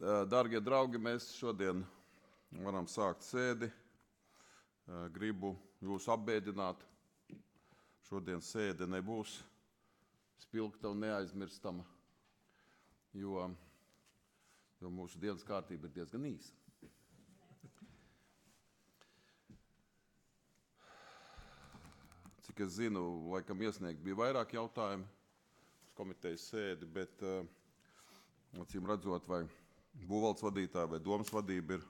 Dārgie draugi, mēs šodien varam sākt sēdi. Gribu jūs apbēdināt. Šodien sēde nebūs spilgta un neaizmirstama, jo mūsu dienas kārtība ir diezgan īsa. Cik es zinu, laikam iesniegt bija vairāk jautājumu uz komitejas sēdi, bet acīm redzot, vai būvvaldes vadītāja vai domas vadība ir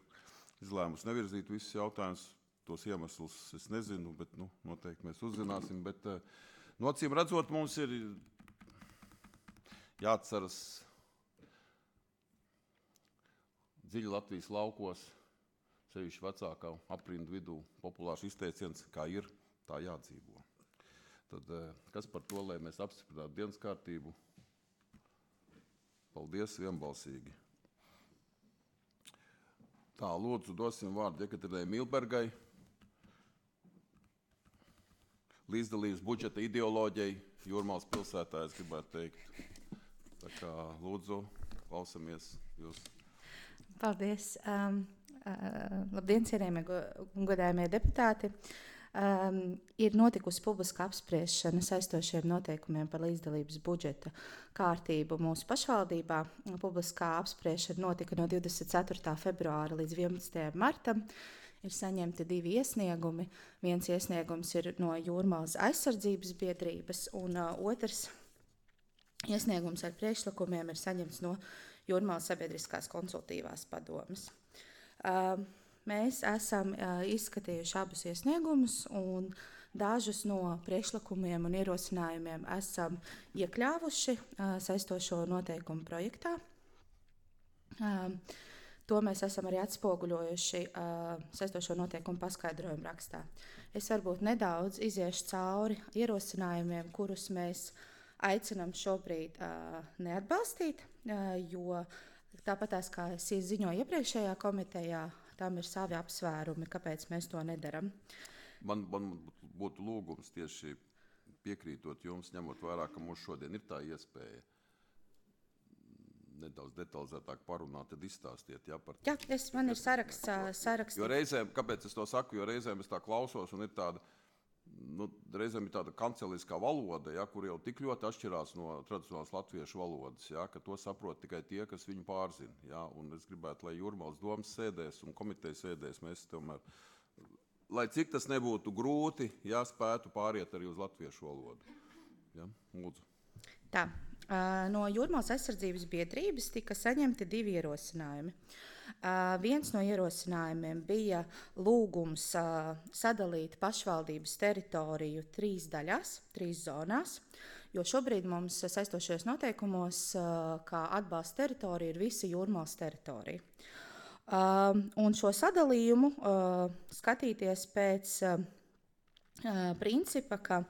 izlēmusi nevirzīt visus jautājumus. Tos iemeslus es nezinu, bet noteikti mēs uzzināsim. Bet acīm redzot, mums ir jāatceras dziļi Latvijas laukos, sevišķi vecākā aprindu vidū, populārs izteiciens, kā ir, tā jādzīvo. Tad kas par to, lai mēs apstiprinātu dienas kārtību? Paldies vienbalsīgi. Tā, lūdzu, dosim vārdu Jekaterinai Milbergai, līdzdalības budžeta ideoloģijai Jūrmalas pilsētā, es gribētu teikt. Tā kā, lūdzu, klausamies jūs. Paldies. Labdien, cienījamie godājamie deputāti. Ir notikusi publiska apspriešana saistošiem noteikumiem par līdzdalības budžeta kārtību mūsu pašvaldībā. Publiskā apspriešana notika no 24. februāra līdz 11. martam. Ir saņemti 2 iesniegumi. Viens iesniegums ir no Jūrmalas aizsardzības biedrības, un otrs iesniegums ar priekšlikumiem ir saņemts no Jūrmalas sabiedriskās konsultīvās padomes. Mēs esam izskatījuši abus iesniegumus, un dažus no priekšlikumiem un ierosinājumiem esam iekļāvuši saistošo noteikumu projektā. To mēs esam arī atspoguļojuši saistošo noteikumu paskaidrojumu rakstā. Es varbūt nedaudz iziešu cauri ierosinājumiem, kurus mēs aicinām šobrīd neatbalstīt, jo tāpatās, kā es ziņoju iepriekšējā komitejā, tam ir savi apsvērumi, kāpēc mēs to nedaram. Man būtu lūgums tieši piekrītot jums, ņemot vērā, ka mums šodien ir tā iespēja nedaudz detalizētāk parunāt, tad izstāstiet. Jā, man ir saraksts. Jo reizēm, kāpēc es to saku, jo reizēm es tā klausos un ir tāda, reizēm ir tāda kanceliskā valoda, ja, kur jau tik ļoti atšķirās no tradicionālās latviešu valodas, ja, ka to saprot tikai tie, kas viņu pārzina. Ja, un es gribētu, lai Jūrmalas domas sēdēs un komitejas sēdēs mēs tomēr, lai cik tas nebūtu grūti, ja, spētu pāriet arī uz latviešu valodu. Ja, lūdzu. Tā. No Jūrmalas aizsardzības biedrības tika saņemti 2 ierosinājumi. Viens no ierosinājumiem bija lūgums sadalīt pašvaldības teritoriju 3 daļās, 3 zonās, jo šobrīd mums saistošajos noteikumos, kā atbalsta teritorija, ir visa Jūrmalas teritorija. Un šo sadalījumu skatīties pēc principa, ka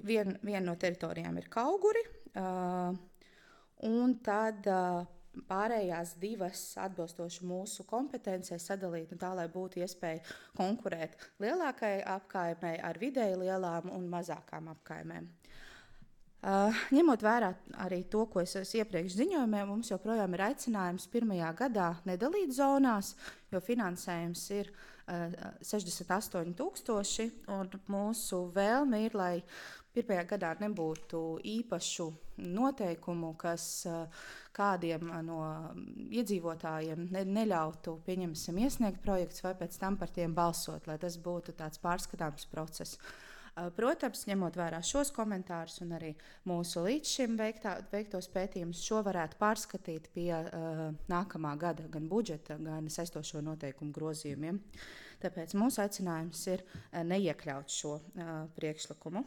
viena no teritorijām ir Kauguri, un tad pārējās 2 atbilstoši mūsu kompetencei sadalīt, un tā, lai būtu iespēja konkurēt lielākai apkaimei ar vidēji lielām un mazākām apkaimēm. Ņemot vērā arī to, ko es iepriekš ziņojumē, mums joprojām ir aicinājums pirmajā gadā nedalīt zonās, jo finansējums ir 68,000, un mūsu vēlme ir, lai pirmajā gadā nebūtu īpašu noteikumu, kas kādiem no iedzīvotājiem neļautu, pieņemsim, iesniegt projektus vai pēc tam par tiem balsot, lai tas būtu tāds pārskatāms process. Protams, ņemot vērā šos komentārus un arī mūsu līdz šim veiktos pētījumus, šo varētu pārskatīt pie nākamā gada gan budžeta, gan saistošo noteikumu grozījumiem. Tāpēc mūsu aicinājums ir neiekļaut šo priekšlikumu.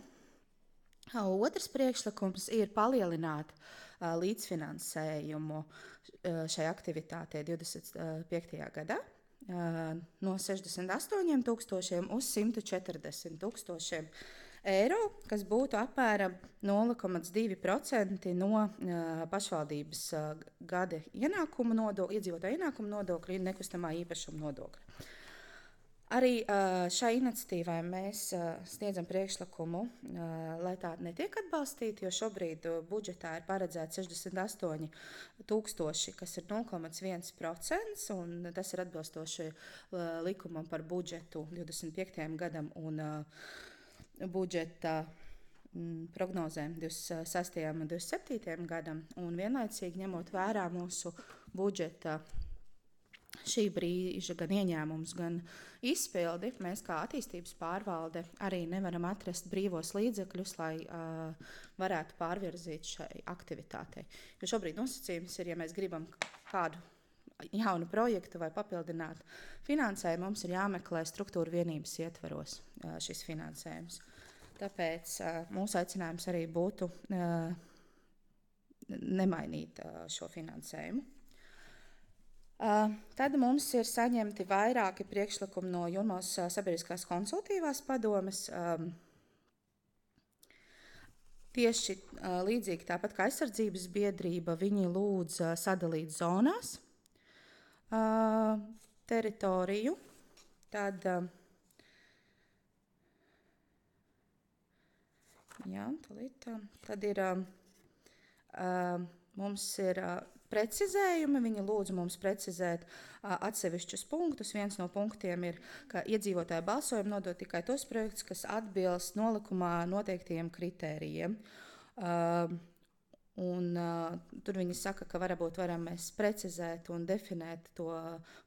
Otrs priekšlikums ir palielināt līdzfinansējumu šai aktivitātei 25. gadā. No 68,000 uz 140,000 eiro, kas būtu apmēram 0,2% no pašvaldības gada iedzīvotāju ienākuma nodokļa un nekustamā īpašuma nodokļa. Arī šai iniciatīvai mēs sniedzam priekšlikumu, lai tā netiek atbalstīta, jo šobrīd budžetā ir paredzēts 68,000, kas ir 0,1%, un tas ir atbilstoši likumam par budžetu 25. gadam un budžeta prognozēm 26. un 27. gadam, un vienlaicīgi ņemot vērā mūsu budžeta šī brīža gan ieņēmums, gan izpildi, mēs kā attīstības pārvalde arī nevaram atrast brīvos līdzekļus, lai varētu pārvirzīt šai aktivitātei. Jo šobrīd nosacījums ir, ja mēs gribam kādu jaunu projektu vai papildināt finansējumu, mums ir jāmeklē struktūra vienības ietveros šis finansējums. Tāpēc mūsu aicinājums arī būtu nemainīt šo finansējumu. Tad mums ir saņemti vairāki priekšlikumi no Jurmālas sabiedriskās konsultīvās padomes. Tieši līdzīgi tāpat kā aizsardzības biedrība, viņi lūdz sadalīt zonās teritoriju. Tad ir mums ir precizējumi. Viņi lūdz mums precizēt atsevišķus punktus. Viens no punktiem ir, ka iedzīvotāju balsojumu nodot tikai tos projektus, kas atbilst nolikumā noteiktiem kritērijiem. Tur viņi saka, ka varbūt varam mēs precizēt un definēt to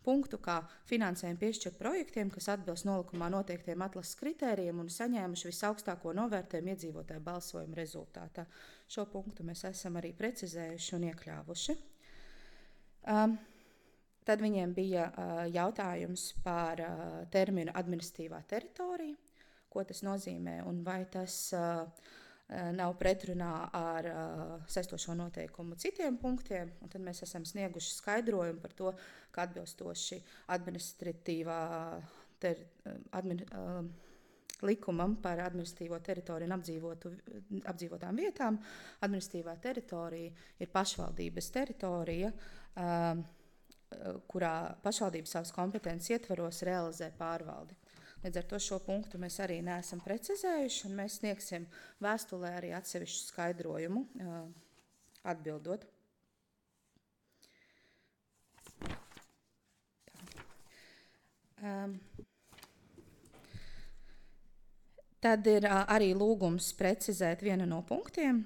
punktu, kā finansējumu piešķirt projektiem, kas atbilst nolikumā noteiktiem atlases kritērijiem un saņēmuši visaugstāko novērtējumu iedzīvotāju balsojumu rezultātā. Šo punktu mēs esam arī precizējuši un iekļāvuši. Tad viņiem bija jautājums par terminu administratīvā teritorija, ko tas nozīmē un vai tas nav pretrunā ar saistošo noteikumu citiem punktiem. Un tad mēs esam snieguši skaidrojumu par to, ka atbilstoši likumam par administratīvo teritoriju un apdzīvotām vietām. Administratīvā teritorija ir pašvaldības teritorija, kurā pašvaldība savas kompetences ietvaros realizē pārvaldi. Līdz ar to šo punktu mēs arī neesam precizējuši, un mēs sniegsim vēstulē arī atsevišķu skaidrojumu atbildot. Tad ir arī lūgums precizēt vienu no punktiem,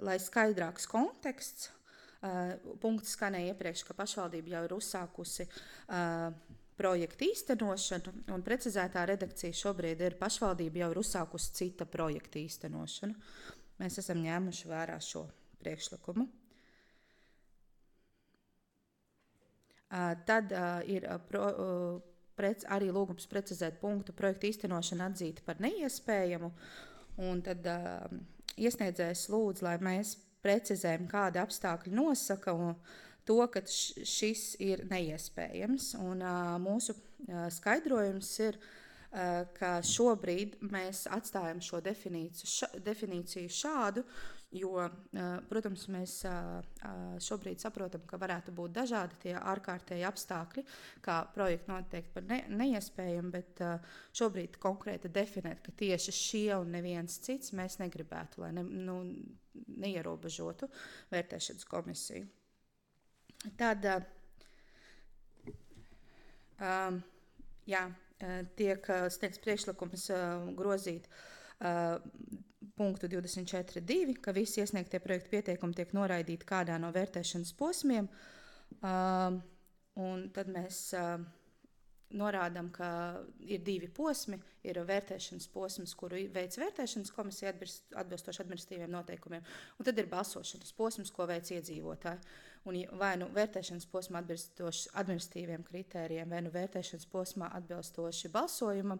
lai skaidrāks konteksts. Punkts skanēja iepriekš, ka pašvaldība jau ir uzsākusi projektu īstenošanu, un precizētā redakcija šobrīd ir pašvaldība jau ir uzsākusi cita projekta īstenošanu. Mēs esam ņēmuši vērā šo priekšlikumu. Tad ir arī lūgums precizēt punktu projektu īstenošanu atzīt par neiespējamu, un tad iesniedzējs lūdz, lai mēs precizējam, kāda apstākļa nosaka to, ka šis ir neiespējams. Un mūsu skaidrojums ir, ka šobrīd mēs atstājam šo definīciju šādu, jo, protams, mēs šobrīd saprotam, ka varētu būt dažādi tie ārkārtēji apstākļi, kā projekti noteikti par neiespējami, bet šobrīd konkrēti definēt, ka tieši šie un neviens cits mēs negribētu, lai neierobežotu vērtēšanas komisiju. Tad tiek sniegts priekšlikums grozīt punktu 24.2, ka visi iesniegtie projektu pieteikumi tiek noraidīti kādā no vērtēšanas posmiem. Un tad mēs norādām, ka ir divi posmi. Ir vērtēšanas posms, kuru veic vērtēšanas komisija atbilstoši administratīviem noteikumiem, un tad ir balsošanas posms, ko veic iedzīvotāji. Un vai nu vērtēšanas posmā atbilstoši administratīviem kritērijiem, vai nu vērtēšanas posmā atbilstoši balsojumam,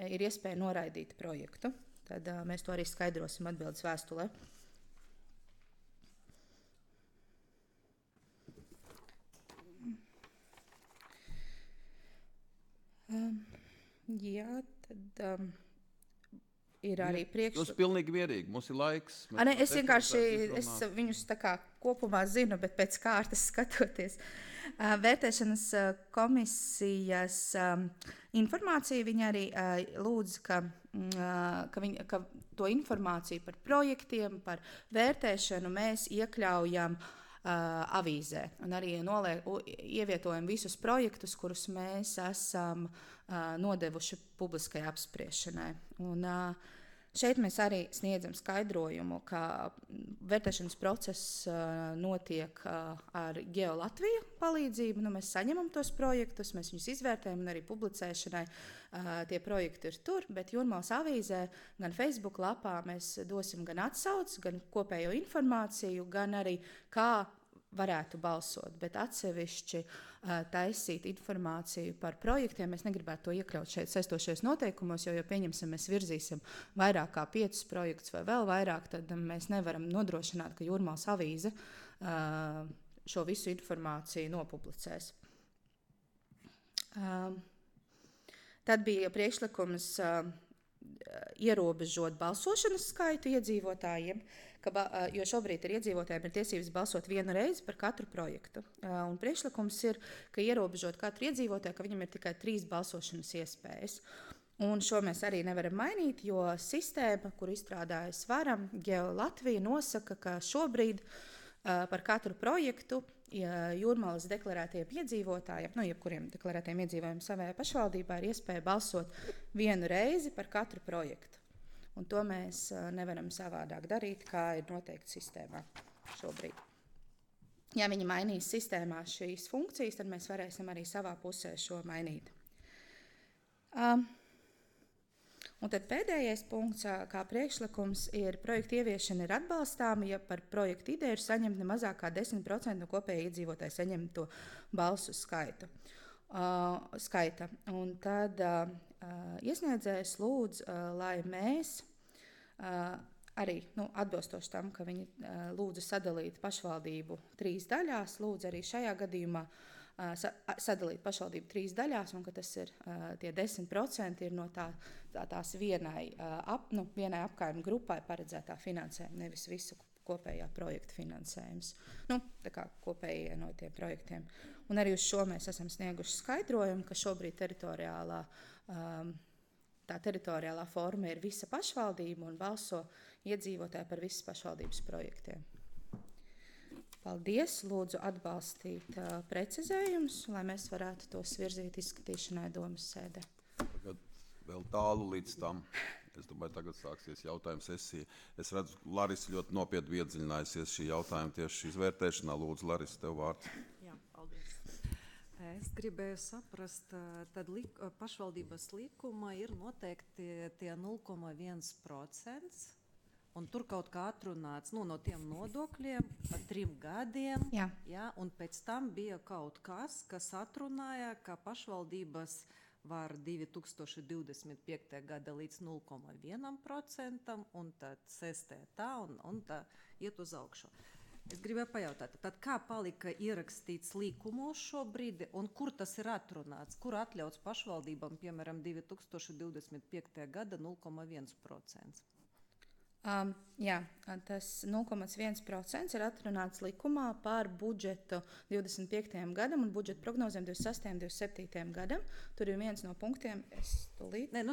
ir iespēja noraidīt projektu. Tad mēs to arī skaidrosim atbildes vēstulē. Tad ir arī Tas ir pilnīgi mierīgi, mums ir laiks. Es vienkārši viņus tā kā kopumā zinu, bet pēc kārtas skatoties. Vērtēšanas komisijas informāciju viņa arī lūdz, ka to informāciju par projektiem, par vērtēšanu mēs iekļaujam avīzē. Un arī ievietojam visus projektus, kurus mēs esam nodevuši publiskai apspriešanai. Un šeit mēs arī sniedzam skaidrojumu, ka vērtēšanas process notiek ar Geo Latviju palīdzību. Mēs saņemam tos projektus, mēs viņus izvērtējam un arī publicēšanai tie projekti ir tur, bet Jūrmalas avīzē gan Facebook lapā mēs dosim gan atsauci, gan kopējo informāciju, gan arī kā varētu balsot, bet atsevišķi taisīt informāciju par projektiem. Mēs negribētu to iekļaut šeit saistošajos noteikumos, jo pieņemsim, mēs virzīsim vairāk kā 5 projektus vai vēl vairāk, tad mēs nevaram nodrošināt, ka Jūrmalas avīze šo visu informāciju nopublicēs. Tad bija priekšlikums ierobežot balsošanas skaitu iedzīvotājiem, jo šobrīd ir iedzīvotājiem ir tiesības balsot vienu reizi par katru projektu. Un priekšlikums ir, ka ierobežot katru iedzīvotāju, ka viņam ir tikai 3 balsošanas iespējas. Un šo mēs arī nevaram mainīt, jo sistēma, kur izstrādājas varam, Geo Latvija nosaka, ka šobrīd par katru projektu Jūrmalas deklarētiem iedzīvotājiem, jebkuriem deklarētiem iedzīvotājiem savējā pašvaldībā ir iespēja balsot vienu reizi par katru projektu. Un to mēs nevaram savādāk darīt, kā ir noteikti sistēmā šobrīd. Ja viņi mainīs sistēmā šīs funkcijas, tad mēs varēsim arī savā pusē šo mainīt. Un tad pēdējais punkts, kā priekšlikums, ir projekta ieviešana ir atbalstāma, ja par projektu ideju ir saņemt ne mazāk kā 10% no kopējā iedzīvotāja saņemto balsu skaita. Un tad iesniedzējs lūdz, lai mēs arī atbilstoši tam, ka viņi lūdza sadalīt pašvaldību 3 daļās, lūdza arī šajā gadījumā sadalīt pašvaldību 3 daļās, un ka tas ir tie 10% ir no tās vienai apkaimju grupai paredzētā finansējuma, nevis visu kopējā projekta finansējums. Tā kā kopējie no tiem projektiem. Un arī uz šo mēs esam snieguši skaidrojumu, ka šobrīd teritoriālā forma ir visa pašvaldība un balso iedzīvotāji par visas pašvaldības projektiem. Paldies, lūdzu atbalstīt precizējumus, lai mēs varētu tos virzīt izskatīšanai domas sēdē. Tagad vēl tālu līdz tam. Es domāju, tagad sāksies jautājuma sesija. Es redzu, Larisa ļoti nopietni iedziļinājusies šī jautājuma tieši izvērtēšanā. Lūdzu, Larisa, tev vārds. Jā, paldies. Es gribēju saprast, tad pašvaldības likuma ir noteikti tie 0,1%. Un tur kaut kā atrunāts no tiem nodokļiem par 3 gadiem. Jā, un pēc tam bija kaut kas atrunāja, ka pašvaldības var 2025. gada līdz 0,1% un tad sestē tā un tā iet uz augšu. Es gribēju pajautāt, tad kā palika ierakstīts likumos šobrīd un kur tas ir atrunāts? Kur atļauts pašvaldībām, piemēram, 2025. gada 0,1%? Jā, tas 0,1% ir atrunāts likumā par budžetu 25. gadam un budžeta prognozēm 26. un 27. gadam. Tur ir viens no punktiem,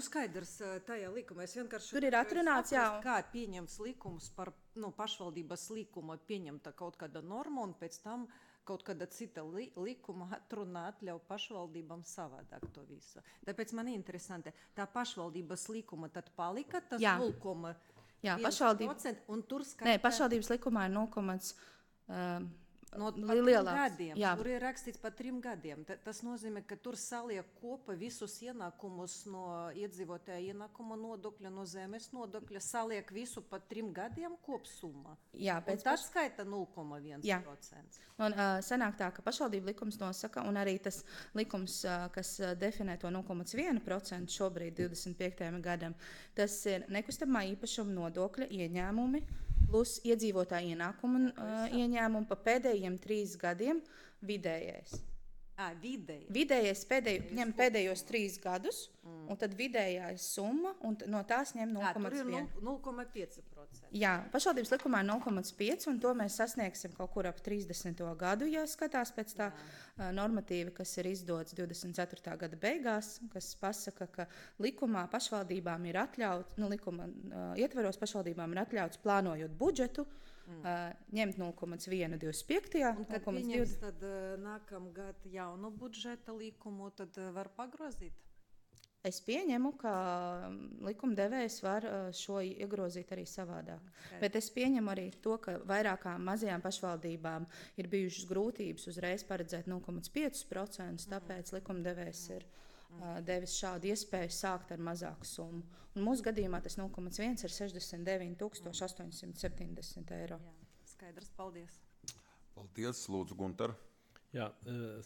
skaidrs tajā likumā. Es vienkārši tur ir atrunāts, kā pieņems likums par pašvaldības likuma pieņemta kaut kāda norma un pēc tam kaut kāda cita likuma atrunā atļauj pašvaldībām savādāk to visu. Tāpēc man interesanti, tā pašvaldības likuma tad palika tas 0,1%. Jā, pašvaldības likumā ir 0,1%. Gadiem. Tur ir rakstīts par 3 gadiem. Tas nozīmē, ka tur saliek kopā visus ienākumus no iedzīvotāja ienākuma nodokļa, no zemes nodokļa, saliek visu par 3 gadiem kopsumma. Jā, un tas skaita 0,1%. Un sanāk tā, ka pašvaldība likums nosaka, un arī tas likums, kas definē to 0,1% šobrīd 25. gadam, tas ir nekustamā īpašuma nodokļa ieņēmumi, plus iedzīvotāja ienākumu ieņēmumu pa pēdējiem 3 gadiem vidējais. Vidējais ņem pēdējos 3 gadus, un tad vidējā ir summa, un no tās ņem 0,1. 0,5%. Jā, pašvaldības likumā ir 0,5, un to mēs sasniegsim kaut kur ap 30. gadu, ja skatās pēc tā normatīva, kas ir izdots 24. gada beigās, kas pasaka, ka likumā pašvaldībām ir atļauts, likuma ietveros pašvaldībām ir atļauts plānojot budžetu, ņemt 0,125. Un kad pieņems tad nākamgad jaunu budžeta likumu, tad var pagrozīt? Es pieņemu, ka likumdevējs var šo iegrozīt arī savādāk. Bet es pieņemu arī to, ka vairākām mazajām pašvaldībām ir bijušas grūtības uzreiz paredzēt 0,5%, tāpēc likumdevējs ir devis šādu iespēju sākt ar mazāku summu. Un mūsu gadījumā tas 0,1 ir 69 870 eiro. Jā, skaidrs, paldies. Paldies, lūdzu, Gunter. Jā,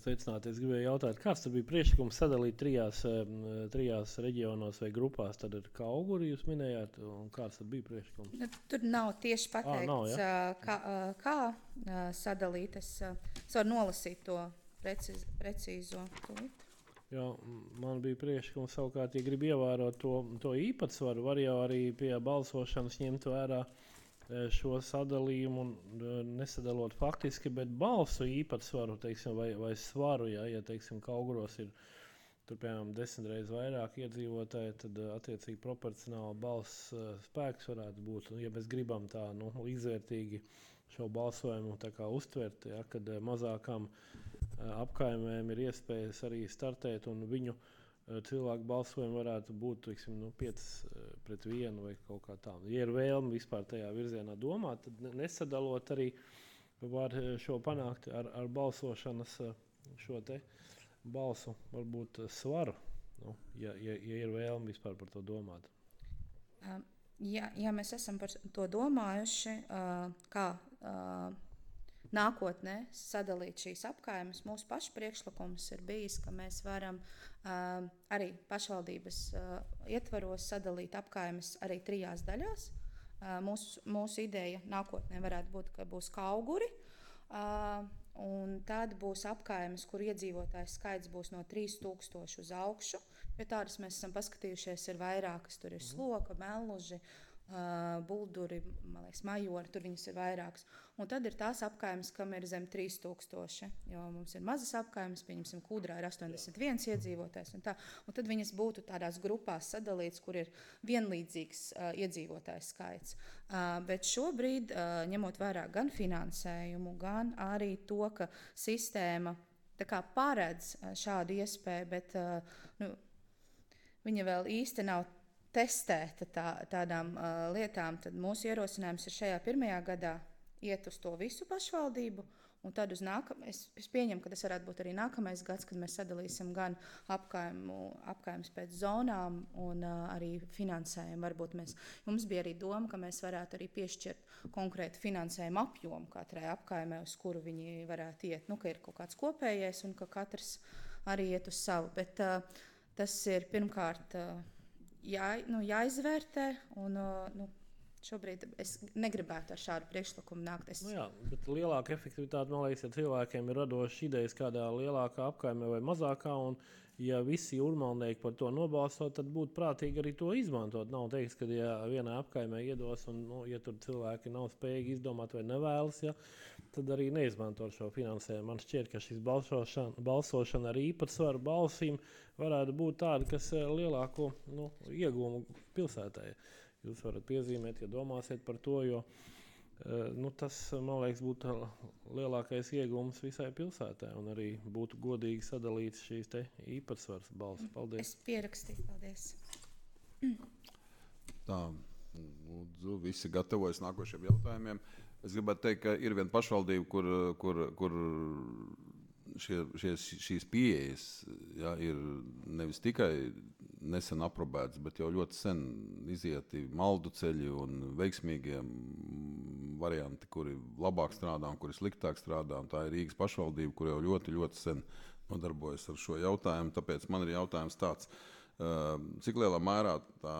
sveicināti. Es gribēju jautāt, kāds tad bija priekšlikums sadalīt trijās reģionos vai grupās? Tad ir Kauguri, jūs minējāt, un kāds tad bija priekšlikums? Tur nav tieši pateikts, kā sadalīt. Es varu nolasīt to precīzo tūlīt. Jā, man bija priekšlikums savukārt, ja grib ievērot to īpatsvaru, var jau arī pie balsošanas ņemt vērā šo sadalījumu, nesadalot faktiski, bet balsu īpatsvaru, teiksim, vai svaru, ja teiksim, Kauguros ir tur, piemēram, 10 reizes vairāk iedzīvotāji, tad attiecīgi proporcionāli balss spēks varētu būt. Un, ja mēs gribam tā izvērtīgi šo balsojumu tā kā uztvert, ja, kad mazākām apkaimēm ir iespējas arī startēt, un viņu cilvēku balsojumi varētu būt, teiksim, 5-1 vai kaut kā tā. Ja ir vēlme vispār tajā virzienā domāt, tad nesadalot arī var šo panākt ar balsošanas šo te balsu, varbūt svaru, ja ir vēlme vispār par to domāt. Ja mēs esam par to domājuši, kā nākotnē sadalīt šīs apkaimes, mūsu pašu priekšlikums ir bijis, ka mēs varam arī pašvaldības ietvaros sadalīt apkaimes arī 3 daļās. Mūsu ideja nākotnē varētu būt, ka būs Kauguri, un tad būs apkaimes, kur iedzīvotājs skaits būs no 3000 uz augšu. Jo tādas mēs esam paskatījušies, ir vairākas, tur ir Sloka, Melluži, Bulduri, man liekas, Majori, tur viņas ir vairākas. Un tad ir tās apkaimes, kam ir zem 3000, jo mums ir mazas apkaimes, pieņemsim, Kūdrā ir 81 iedzīvotājs un tā. Un tad viņas būtu tādās grupās sadalīts, kur ir vienlīdzīgs iedzīvotājs skaits. Bet šobrīd, ņemot vērā gan finansējumu, gan arī to, ka sistēma tā kā paredz šādu iespēju, bet viņa vēl īsti nav testēta tādām lietām, tad mūsu ierosinājums ir šajā 1. gadā iet uz to visu pašvaldību, un tad uz es pieņemu, ka tas varētu būt arī nākamais gads, kad mēs sadalīsim gan apkaimes pēc zonām un arī finansējumu. Varbūt mums bija arī doma, ka mēs varētu arī piešķirt konkrētu finansējumu apjomu katrai apkaimē, uz kuru viņi varētu iet. Ka ir kaut kāds kopējais un ka katrs arī iet uz savu. Bet tas ir pirmkārt jāizvērtē, un šobrīd es negribētu ar šādu priekšlikumu nākt. Jā, bet lielāka efektivitāte, man liekas, ja cilvēkiem ir radošas idejas kādā lielākā apkaimē vai mazākā, un ja visi urmalnieki par to nobalstot, tad būtu prātīgi arī to izmantot. Nav teiks, ka ja vienā apkaimē iedos, un ja tur cilvēki nav spējīgi izdomāt vai nevēlas, tad arī neizmanto šo finansējumu. Man šķiet, ka šis balsošana ar īpatsvaru balsīm varētu būt tāda, kas lielāko iegūmu pilsētai. Jūs varat piezīmēt, ja domāsiet par to, jo tas, man liekas, būtu lielākais iegūms visai pilsētai, un arī būtu godīgi sadalīts šīs te īpatsvars balss. Paldies. Es pierakstīju, paldies. Tā, lūdzu, visi gatavojas nākošiem jautājumiem. Es gribētu teikt, ka ir viena pašvaldība, kur šīs pieejas ir nevis tikai nesen aprobētas, bet jau ļoti sen izieti maldu ceļi un veiksmīgie varianti, kuri labāk strādā un kuri sliktāk strādā. Un tā ir Rīgas pašvaldība, kur jau ļoti, ļoti sen nodarbojas ar šo jautājumu. Tāpēc man ir jautājums tāds, cik lielā mērā tā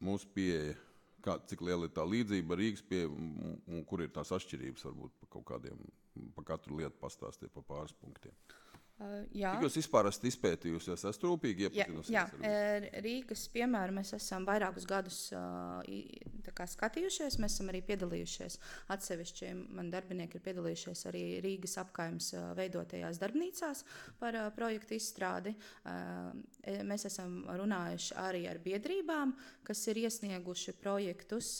mūsu pieeja, cik liela ir tā līdzība ar Rīgas pieeju un kur ir tās atšķirības, varbūt pa katru lietu pastāstiet pa pāris punktiem. Jā. Cik jūs vispār esat izpētījusies, esat rūpīgi iepazinusies? Jā, Rīgas piemēru mēs esam vairākus gadus skatījušies. Mēs esam arī piedalījušies atsevišķi. Mani darbinieki ir piedalījušies arī Rīgas apkaimes veidotajās darbnīcās par projektu izstrādi. Mēs esam runājuši arī ar biedrībām, kas ir iesnieguši projektus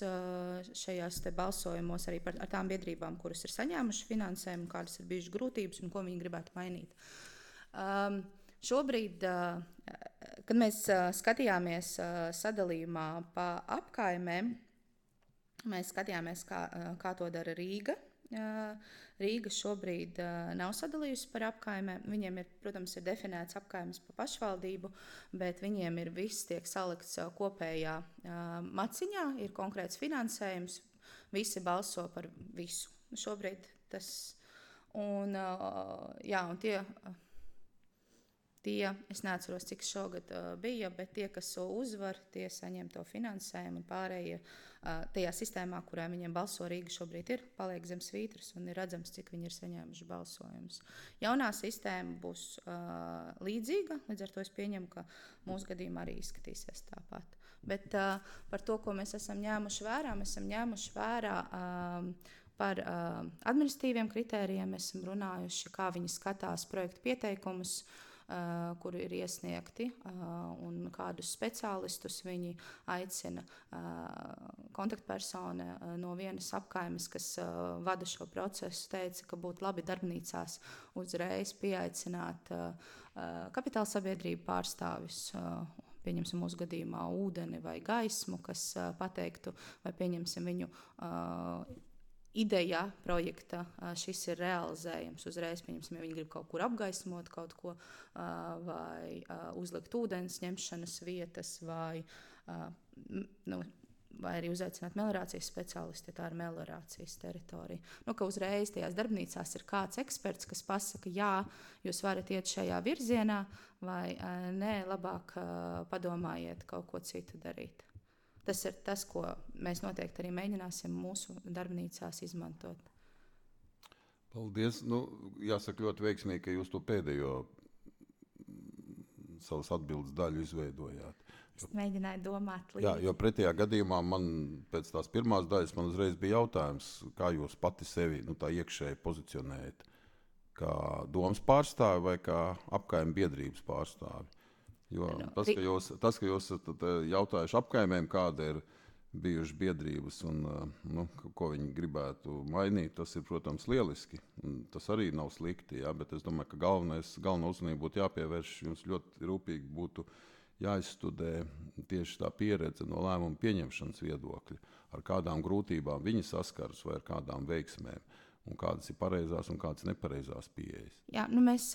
šajās te balsojumos, arī ar tām biedrībām, kuras ir saņēmuši finansējumu, kādas ir bijušas grūtības un ko viņi gribētu mainīt. Šobrīd, kad mēs skatījāmies sadalījumā pa apkaimēm, mēs skatījāmies, kā to dara Rīga. Rīga šobrīd nav sadalījusi par apkaimēm. Viņiem ir, protams, ir definēts apkaimes pa pašvaldību, bet viņiem ir viss tiek salikts kopējā maciņā, ir konkrēts finansējums, visi balso par visu. Šobrīd tas, un tie, es neatceros, cik šogad bija, bet tie, kas uzvar, tie saņem to finansējumu, un pārējie tajā sistēmā, kurā viņiem balso Rīga šobrīd ir, paliek zem svītras, un ir redzams, cik viņi ir saņēmuši balsojumus. Jaunā sistēma būs līdzīga, līdz ar to es pieņemu, ka mūsu gadījumā arī izskatīsies tāpat. Bet par to, ko mēs esam ņēmuši vērā, par administratīviem kritērijiem mēs esam runājuši, kā viņi skatās projektu pieteikumus, kuri ir iesniegti, un kādus speciālistus viņi aicina. Kontaktpersona no vienas apkaimes, kas vada šo procesu, teica, ka būtu labi darbnīcās uzreiz pieaicināt kapitāla sabiedrību pārstāvis, pieņemsim mūsu gadījumā ūdeni vai gaismu, kas pateiktu, vai pieņemsim viņu ideja projekta, šis ir realizējams uzreiz, pieņemsim, ja viņi grib kaut kur apgaismot kaut ko, vai uzlikt ūdens ņemšanas vietas, vai arī uzaicināt meliorācijas speciālisti, ja tā ir meliorācijas teritorija. Ka uzreiz tajās darbnīcās ir kāds eksperts, kas pasaka, jā, jūs varat iet šajā virzienā, vai nē, labāk padomājiet kaut ko citu darīt. Tas ir tas, ko mēs noteikti arī mēģināsim mūsu darbnīcās izmantot. Paldies. Jāsaka ļoti veiksmīgi, ka jūs to pēdējo savas atbildes daļu izveidojāt. Es mēģināju domāt līdzi. Jā, jo pretējā gadījumā man pēc tās pirmās daļas man uzreiz bija jautājums, kā jūs pati sevi tā iekšēji pozicionējat, kā domas pārstāvi vai kā apkaime biedrības pārstāvi. Jo tas, ka jūs esat jautājuši apkaimēm, kāda ir bijušas biedrības un ko viņi gribētu mainīt, tas ir, protams, lieliski. Tas arī nav slikti, bet es domāju, ka galvenā uzmanība būtu jāpievērš, jums ļoti rūpīgi būtu jāizstudē tieši tā pieredze no lēmumu pieņemšanas viedokļa, ar kādām grūtībām viņi saskaras vai ar kādām veiksmēm, un kādas ir pareizās un kādas nepareizās pieejas. Jā, mēs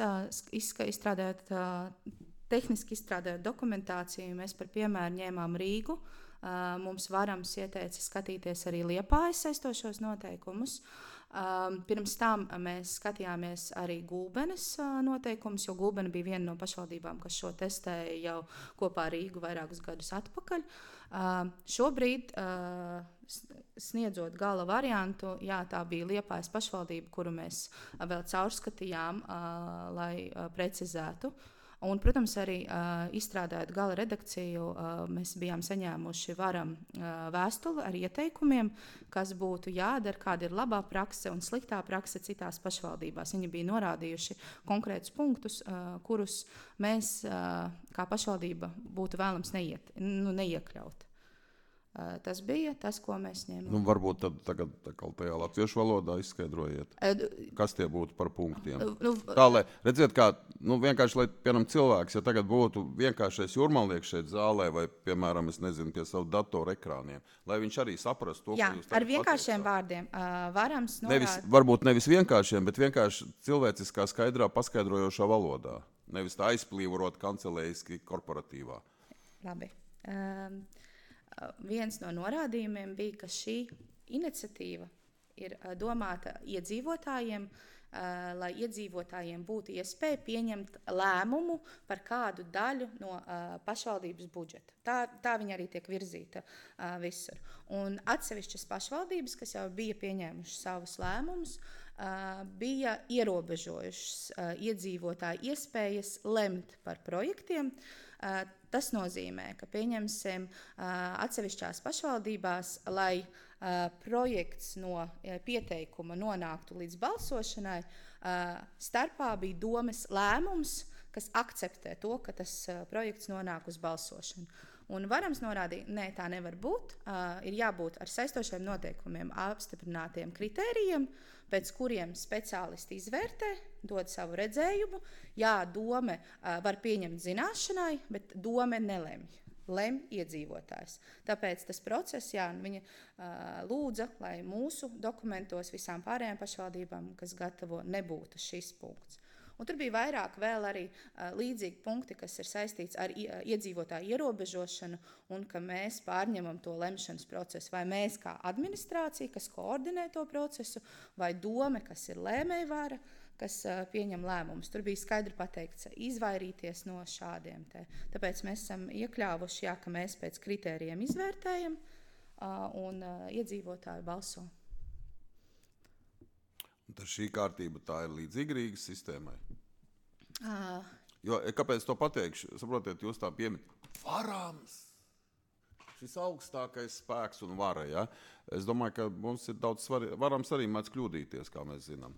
tehniski izstrādājot dokumentāciju, mēs par piemēru ņēmām Rīgu. Mums Varams ieteica skatīties arī Liepājas saistošos noteikumus. Pirms tam mēs skatījāmies arī Gulbenes noteikumus, jo Gulbene bija viena no pašvaldībām, kas šo testēja jau kopā ar Rīgu vairākus gadus atpakaļ. Šobrīd, sniedzot gala variantu, tā bija Liepājas pašvaldība, kuru mēs vēl caurskatījām, lai precizētu. Un, protams, arī izstrādājot gala redakciju, mēs bijām saņēmuši Varam vēstuli ar ieteikumiem, kas būtu jādara, kāda ir labā prakse un sliktā prakse citās pašvaldībās. Viņi bija norādījuši konkrētus punktus, kurus mēs kā pašvaldība būtu vēlams neiekļaut. Tas bija tas, ko mēs ņēmām. Varbūt tad tagad tajā latviešu valodā izskaidrojiet, kas tie būtu par punktiem. Tā, lai redziet, kā, vienkārši, lai, piemēram, cilvēks, ja tagad būtu vienkāršais jūrmalnieks šeit zālē vai, piemēram, es nezinu, pie savu datoru ekrāniem, lai viņš arī saprastu to, ko jūs tagad ar vienkāršiem vārdiem. Varams varbūt nevis vienkāršiem, bet vienkārši cilvēciskā skaidrā paskaidrojošā valodā. Nevis tā aizplīvorot kancelējiski korporatīvā. Labi. Viens no norādījumiem bija, ka šī iniciatīva ir domāta iedzīvotājiem, lai iedzīvotājiem būtu iespēja pieņemt lēmumu par kādu daļu no pašvaldības budžeta. Tā viņa arī tiek virzīta visur. Un atsevišķas pašvaldības, kas jau bija pieņēmušas savus lēmumus, bija ierobežojušas iedzīvotāju iespējas lemt par projektiem. Tas nozīmē, ka pieņemsim atsevišķās pašvaldībās, lai projekts no pieteikuma nonāktu līdz balsošanai, starpā bija domes lēmums, kas akceptē to, ka tas projekts nonāk uz balsošanu. Un varams norādīt, nē, tā nevar būt. Ir jābūt ar saistošiem noteikumiem apstiprinātiem kritērijiem, pēc kuriem speciālisti izvērtē, dod savu redzējumu. Jā, dome var pieņemt zināšanai, bet dome nelemj. Lem iedzīvotājs. Tāpēc tas process, viņa lūdza, lai mūsu dokumentos visām pārējām pašvaldībām, kas gatavo, nebūtu šis punkts. Un tur bija vairāk vēl arī līdzīgi punkti, kas ir saistīts ar iedzīvotāju ierobežošanu un ka mēs pārņemam to lemšanas procesu. Vai mēs kā administrācija, kas koordinē to procesu, vai dome, kas ir lēmējvara, kas pieņem lēmumus. Tur bija skaidri pateikts izvairīties no šādiem te. Tāpēc mēs esam iekļāvuši, ka mēs pēc kritērijiem izvērtējam un iedzīvotāji balso. Tad šī kārtība tā ir līdzīga Rīgas sistēmai? Jo, kāpēc to pateikšu? Saprotiet, jūs tā pieminat. Varams! Šis augstākais spēks un vara, ja? Es domāju, ka mums ir daudz svarīgi. Varams arī mēdz kļūdīties, kā mēs zinām.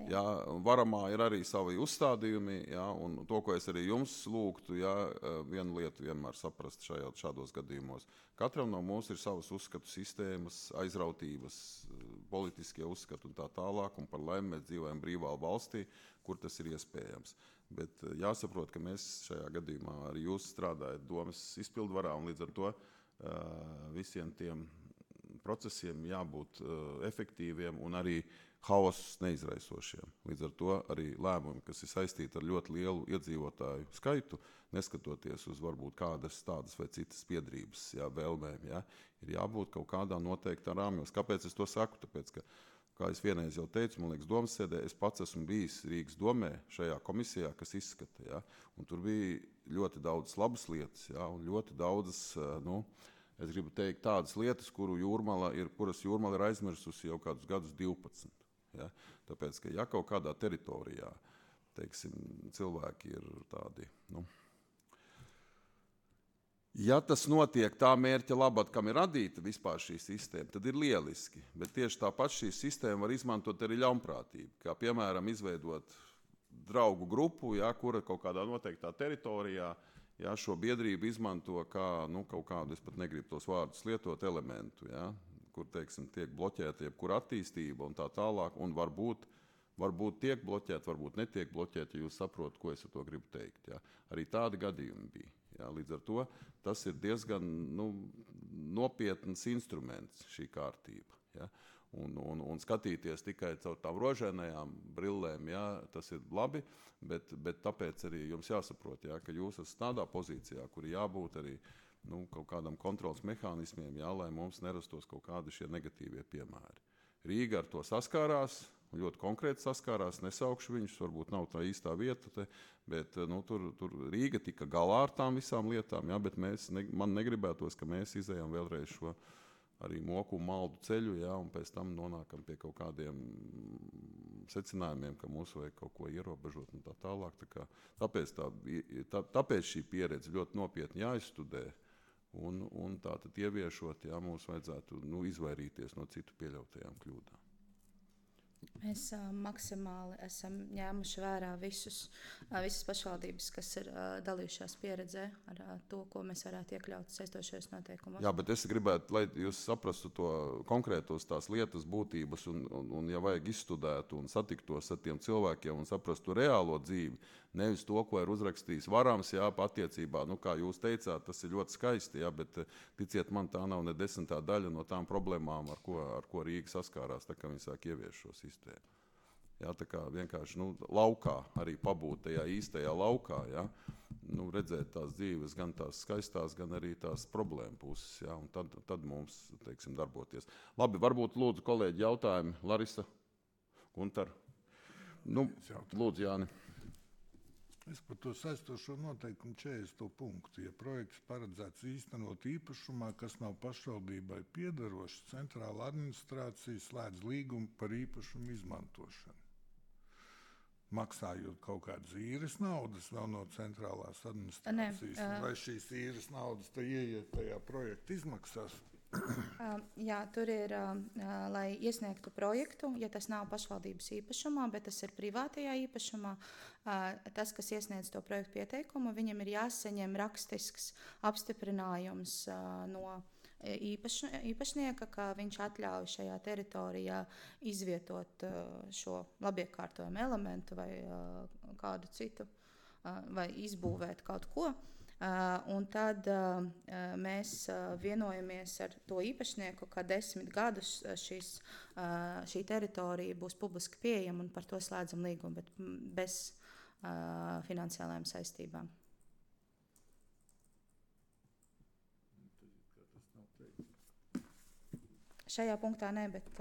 Ja, varamā ir arī savi uzstādījumi, ja, un to, ko es arī jums lūgtu, ja, vienu lietu vienmēr saprast šādos gadījumos. Katram no mums ir savas uzskatu sistēmas, aizrautības, politiskie uzskati un tā tālāk, un par laimi mēs dzīvojam brīvā valstī, kur tas ir iespējams. Bet jāsaprot, ka mēs šajā gadījumā arī jūs strādājat domas izpildvarā, un līdz ar to visiem tiem procesiem jābūt efektīviem un arī haosus neizraisošiem. Līdz ar to arī lēmumi, kas ir saistīti ar ļoti lielu iedzīvotāju skaitu, neskatoties uz varbūt kādas tādas vai citas piedrības, vēlmēm, ir jābūt kaut kādā noteiktā rāmjos. Kāpēc es to saku? Tāpēc, ka, kā es vienreiz jau teicu, man liekas, domas sēdē, es pats esmu bijis Rīgas domē šajā komisijā, kas izskata, un tur bija ļoti daudz labas lietas, un ļoti daudzas, es gribu teikt, tādas lietas, kuras Jūrmala ir aizmirsusi jau kādus gadus 12. Ja? Tāpēc, ka ja kaut kādā teritorijā, teiksim, cilvēki ir tādi, ja tas notiek tā mērķa labad, kam ir radīta vispār šī sistēma, tad ir lieliski, bet tieši tāpat šī sistēma var izmantot arī ļaunprātību, kā piemēram izveidot draugu grupu, kura kaut kādā noteiktā teritorijā, šo biedrību izmanto kā, kaut kādu, es pat negribu tos vārdus lietot, elementu, kur, teiksim, tiek bloķēta jebkura attīstība un tā tālāk, un varbūt tiek bloķēta, varbūt netiek bloķēta, ja jūs saprotat, ko es ar to gribu teikt. Arī tādi gadījumi bija. Līdz ar to tas ir diezgan nopietns instruments šī kārtība. Un skatīties tikai caur tām rožainajām brillēm, tas ir labi, bet tāpēc arī jums jāsaprot, ka jūs esat tādā pozīcijā, kur jābūt arī kaut kādam kontrols mehānismiem, lai mums nerastos kaut kādi šie negatīvie piemēri. Rīga ar to saskārās, ļoti konkrēti saskārās, nesaukšu viņus, varbūt nav tā īstā vieta, bet tur Rīga tika galā ar tām visām lietām, bet man negribētos, ka mēs izējām vēlreiz šo arī moku un maldu ceļu, un pēc tam nonākam pie kaut kādiem secinājumiem, ka mums vajag kaut ko ierobežot un tā tālāk. Tāpēc šī pieredze ļoti nopietni jāizstudē. Un tātad ieviešot, mums vajadzētu izvairīties no citu pieļautajām kļūdām. Mēs maksimāli esam ņēmuši vērā visas pašvaldības, kas ir dalījušās pieredzē ar to, ko mēs varētu iekļaut saistošajos noteikumos. Jā, bet es gribētu, lai jūs saprastu to konkrētos tās lietas būtības un ja vajag izstudēt un satiktos ar tiem cilvēkiem un saprastu reālo dzīvi, nevis to, ko ir uzrakstījis Varams, attiecībā, kā jūs teicāt, tas ir ļoti skaisti, bet ticiet man, tā nav ne 10. daļa no tām problēmām, ar ko Rīga saskārās, tā kā viņi sāk ieviest šo sistēmu. Tā kā vienkārši laukā arī pabūt tajā īstajā laukā, redzēt tās dzīves, gan tās skaistās, gan arī tās problēma puses, un tad mums, teiksim, darboties. Labi, varbūt lūdzu kolēģi jautājumi. Larisa, Guntar. Lūdzu, Jāni. Es par to saistošo noteikumu 40. punktu. Ja projekts paredzēts īstenot īpašumā, kas nav pašvaldībai piederošs, centrāla administrācija slēdz līgumu par īpašumu izmantošanu. Maksājot kaut kādas īres naudas vēl no centrālās administrācijas, vai šīs īres naudas te ieiet tajā projekta izmaksās? Jā, tur ir, lai iesniegtu projektu, ja tas nav pašvaldības īpašumā, bet tas ir privātajā īpašumā, tas, kas iesniedz to projektu pieteikumu, viņam ir jāsaņem rakstisks apstiprinājums no īpašnieka, ka viņš atļauj šajā teritorijā izvietot šo labiekārtojumu elementu vai kādu citu, vai izbūvēt kaut ko. Un tad mēs vienojamies ar to īpašnieku, ka 10 gadus šī teritorija būs publiski pieejama un par to slēdzam līgumu, bet bez finansiālajām saistībām. Šajā punktā ne, bet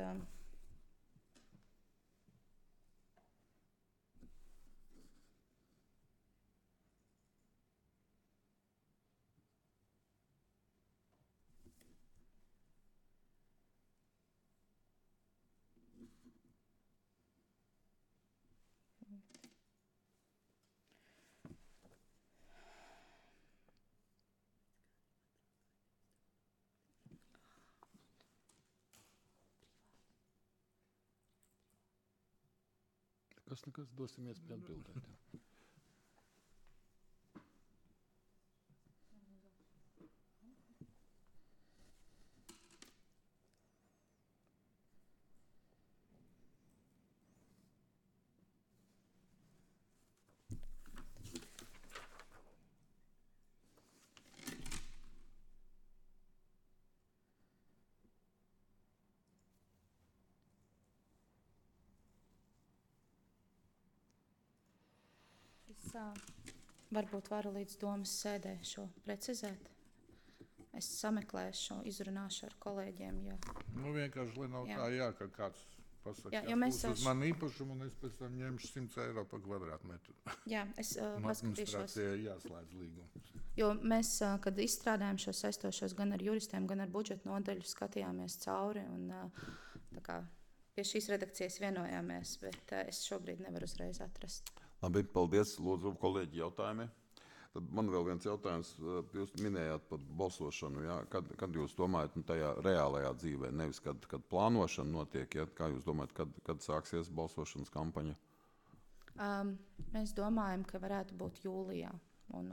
Nekas, dosim iespēju atbildēt. Es varbūt varu līdz domas sēdē šo precizēt. Es sameklēšu, izrunāšu ar kolēģiem. Ja. Nu, vienkārši, lai nav tā, ka kāds pasaka, uz man īpašumu, un es pēc tam ņemšu 100 eiro par kvadrātmetru. Jā, es paskatīšos. Administrācijai jāslēdz līgums. Jo mēs, kad izstrādājam šos saistošos gan ar juristiem, gan ar budžeta nodaļu, skatījāmies cauri un tā kā pie šīs redakcijas vienojāmies, bet es šobrīd nevaru uzreiz atrast. Labi, paldies, lūdzu, kolēģi jautājumi. Tad man vēl viens jautājums. Jūs minējāt par balsošanu. Ja? Kad jūs domājat tajā reālajā dzīvē, nevis kad plānošana notiek, ja? Kā jūs domājat, kad sāksies balsošanas kampaņa? Mēs domājam, ka varētu būt jūlijā un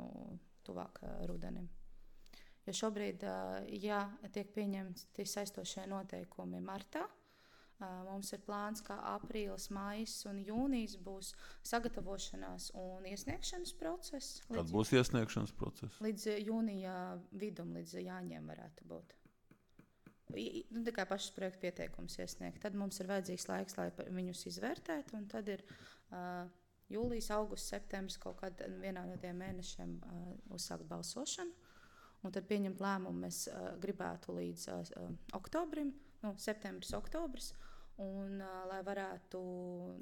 tuvāk rudenim. Jo šobrīd, ja tiek pieņemti saistošie noteikumi martā, mums ir plāns, ka aprīlis, maijs un jūnijas būs sagatavošanās un iesniegšanas process. Kad būs iesniegšanas process? Līdz jūnija vidum, līdz jāņem varētu būt. Tikai pašas projekta pieteikums iesniegt. Tad mums ir vajadzīgs laiks, lai viņus izvērtētu, un tad ir jūlijas, augusts, septembris kaut kad vienā no tiem mēnešiem uzsākt balsošanu. Un tad pieņemt lēmumu mēs gribētu līdz oktobrim, septembris, oktobris, un lai varētu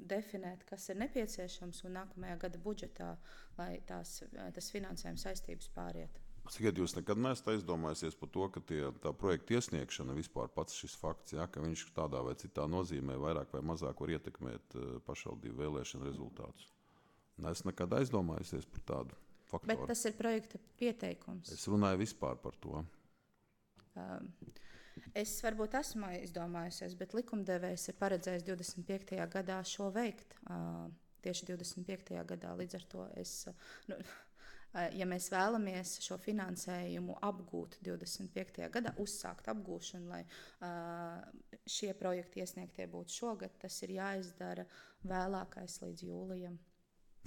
definēt, kas ir nepieciešams un nākamajā gada budžetā, lai tas finansējums saistības pāriet. Cikiet, jūs nekad neesat aizdomājusies par to, ka tā projekta iesniegšana vispār pats šis fakts, ja, ka viņš tādā vai citā nozīmē vairāk vai mazāk var ietekmēt pašvaldību vēlēšanu rezultātus? Neesat nekad aizdomājusies par tādu faktoru? Bet tas ir projekta pieteikums. Es runāju vispār par to. Es varbūt esmu izdomājusies, bet likumdevējs ir paredzējis 25. gadā šo veikt. Tieši 25. gadā līdz ar to ja mēs vēlamies šo finansējumu apgūt 25. gadā, uzsākt apgūšanu, lai šie projekti iesniegtie būtu šogad, tas ir jāizdara vēlākais līdz jūlijam.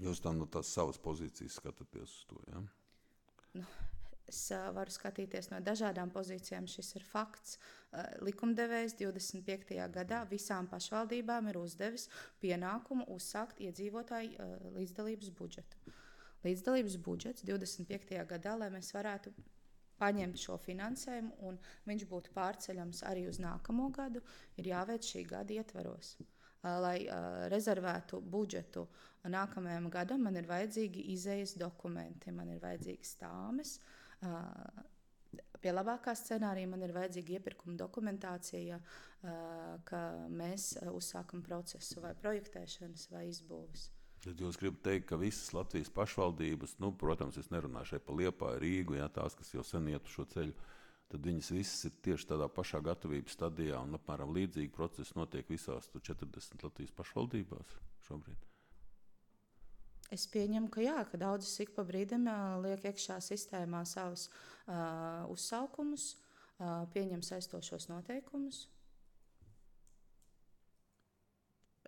Jūs tam no tās savas pozīcijas skatāties uz to, ja? Es varu skatīties no dažādām pozīcijām. Šis ir fakts. Likumdevējs 25. gadā visām pašvaldībām ir uzdevis pienākumu uzsākt iedzīvotāju līdzdalības budžetu. Līdzdalības budžets 25. gadā, lai mēs varētu paņemt šo finansējumu un viņš būtu pārceļams arī uz nākamo gadu, ir jāveic šī gada ietvaros. lai rezervētu budžetu nākamajam gadam, man ir vajadzīgi izējas dokumenti, man ir vajadzīgas tāmes. Pie labākā scenārija man ir vajadzīga iepirkuma dokumentācija, ka mēs uzsākam procesu vai projektēšanas vai izbūves. Tad jūs gribat teikt, ka visas Latvijas pašvaldības, protams, es nerunāju šeit par Liepāju, Rīgu, tās, kas jau sen iet uz šo ceļu, tad viņas visas ir tieši tādā pašā gatavības stadijā un apmēram līdzīgi procesi notiek visās 40 Latvijas pašvaldībās šobrīd. Es pieņemu, ka jā, ka daudzas ik pa brīdim liek iekšā sistēmā savus uzsaukumus, pieņem saistošos noteikumus.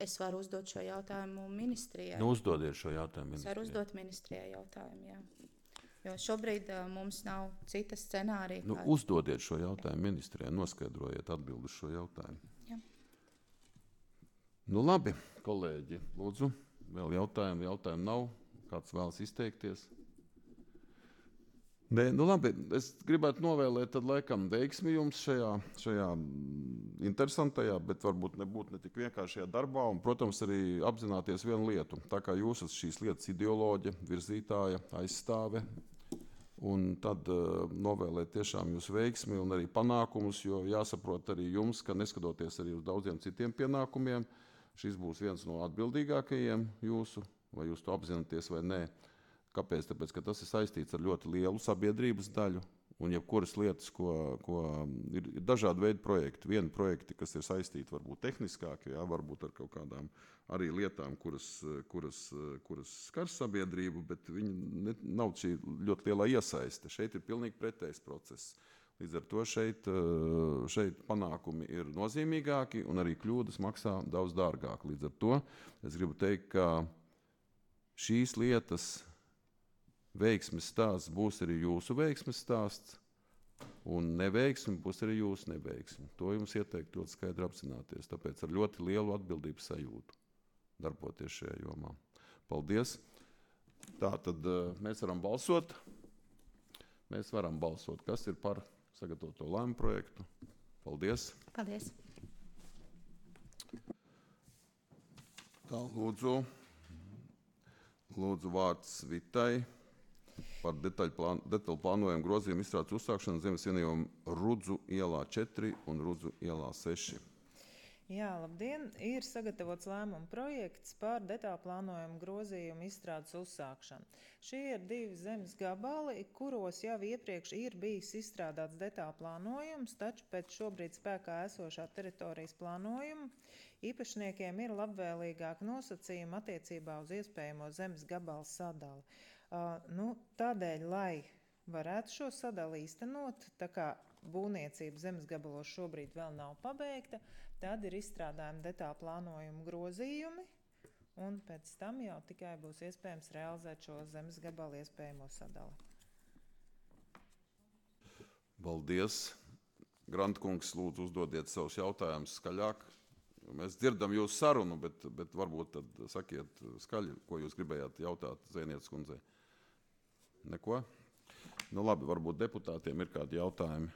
Es varu uzdot šo jautājumu ministrijai. Uzdodiet šo jautājumu ministrijai. Es varu uzdot ministrijai jautājumu, jā. Jo šobrīd mums nav cita scenārija. Uzdodiet šo jautājumu ministrijai, noskaidrojiet atbildi uz šo jautājumu. Jā. Labi, kolēģi, lūdzu, vēl jautājumu nav. Kāds vēlas izteikties? Nē, labi, es gribētu novēlēt tad laikam veiksmi jums šajā interesantajā, bet varbūt nebūtu ne tik vienkāršajā darbā un, protams, arī apzināties vienu lietu. Tā kā jūs esat šīs lietas ideoloģe, virzītāja, aizstāve, un tad novēlēt tiešām jūs veiksmi un arī panākumus, jo jāsaprot arī jums, ka neskatoties arī uz daudziem citiem pienākumiem, šis būs viens no atbildīgākajiem jūsu, vai jūs to apzināties vai nē. Kāpēc? Tāpēc, ka tas ir saistīts ar ļoti lielu sabiedrības daļu un jebkuras lietas, ko ir dažādi veidi projekti. Vieni projekti, kas ir saistīti varbūt tehniskāki, varbūt ar kaut kādām arī lietām, kuras skars sabiedrību, bet viņi nav šī ļoti lielā iesaiste. Šeit ir pilnīgi pretējs process. Līdz ar to šeit panākumi ir nozīmīgāki un arī kļūdas maksā daudz dārgāk. Līdz ar to es gribu teikt, ka šīs lietas veiksmes stāsts būs arī jūsu veiksmes stāsts, un neveiksme būs arī jūsu neveiksme. To jums ieteiktu ļoti skaidri apzināties, tāpēc ar ļoti lielu atbildības sajūtu darboties šajā jomā. Paldies! Tā tad mēs varam balsot. Mēs varam balsot, kas ir par sagatavoto lēmumu projektu. Paldies! Paldies! Tā, lūdzu vārds Vitai. Par detaļu plānojumu grozījumu izstrādes uzsākšanu zemes vienību Rudzu ielā 4 un Rudzu ielā 6. Jā, labdien! Ir sagatavots lēmuma projekts par detaļu plānojumu grozījumu izstrādes uzsākšanu. Šie ir 2 zemes gabali, kuros jau iepriekš ir bijis izstrādāts detaļu plānojums, taču pēc šobrīd spēkā esošā teritorijas plānojuma īpašniekiem ir labvēlīgāk nosacījumi attiecībā uz iespējamo zemes gabalu sadali. Tādēļ, lai varētu šo sadali īstenot, tā kā būvniecība zemes gabalos šobrīd vēl nav pabeigta, tad ir izstrādājumi detaļu plānojumu grozījumi, un pēc tam jau tikai būs iespējams realizēt šo zemes gabalu iespējamo sadali. Paldies! Grantkungs, lūdzu uzdodiet savus jautājumus skaļāk. Mēs dzirdam jūsu sarunu, bet varbūt tad sakiet skaļi, ko jūs gribējāt jautāt Zēnietes kundzei. Neko? Labi, varbūt deputātiem ir kādi jautājumi.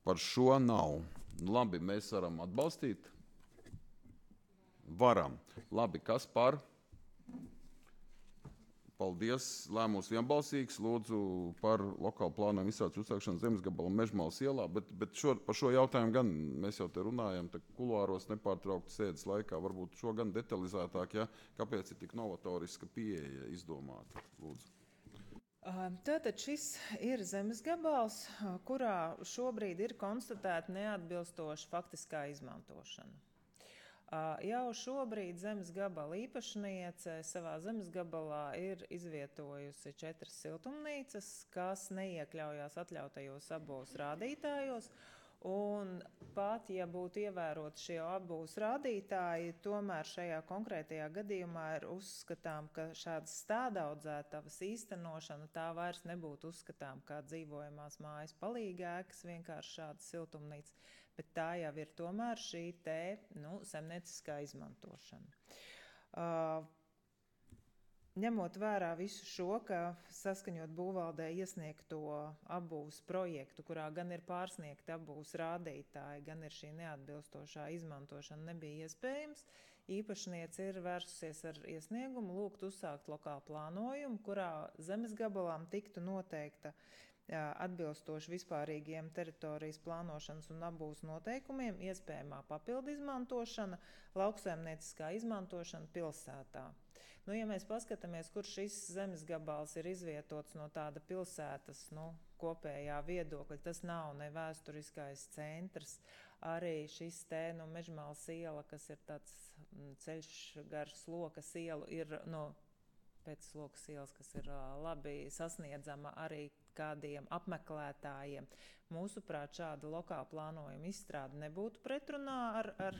Par šo nav. Labi, mēs varam atbalstīt? Varam. Labi, kas par? Paldies. Lēmums vienbalsīgs. Lūdzu par lokālu plānojumu izstrādes uzsākšanu zemes gabalu Mežmalas ielā, bet par šo jautājumu gan mēs jau te runājam, kuluāros nepārtraukti sēdes laikā, varbūt šo gan detalizētāk, kāpēc ir tik novatoriska pieeja izdomāta. Lūdzu. Tātad šis ir zemes gabals, kurā šobrīd ir konstatēta neatbilstoša faktiskā izmantošana. Jau šobrīd zemes gabala īpašniece savā zemes gabalā ir izvietojusi 4 siltumnīcas, kas neiekļaujās atļautajos abos rādītājos, un pat, ja būtu ievērot šie abos rādītāji, tomēr šajā konkrētajā gadījumā ir uzskatām, ka šādas stādaudzētavas īstenošana tā vairs nebūtu uzskatām kā dzīvojamās mājas palīgēkas, vienkārši šādas siltumnīcas, bet tā jau ir tomēr šī saimnieciskā izmantošana. ņemot vērā visu šo, ka saskaņot būvvaldē iesniegto apbūves projektu, kurā gan ir pārsniegti apbūves rādītāji, gan ir šī neatbilstošā izmantošana, nebija iespējams, īpašniece ir vērsusies ar iesniegumu lūgt uzsākt lokālu plānojumu, kurā zemes gabalām tiktu noteikta atbilstoši vispārīgiem teritorijas plānošanas un apbūves noteikumiem iespējamā papildu izmantošana, lauksaimnieciskā izmantošana pilsētā. Nu, ja mēs paskatāmies, kur šis zemes gabals ir izvietots no tāda pilsētas kopējā viedokļa, tas nav ne vēsturiskais centrs, arī šis Mežmāles iela, kas ir tāds ceļš gar Slokas ielu, ir pēc Slokas ielas, kas ir labi sasniedzama arī kādiem apmeklētājiem. Mūsuprāt, šāda lokāla plānojuma izstrāde nebūtu pretrunā ar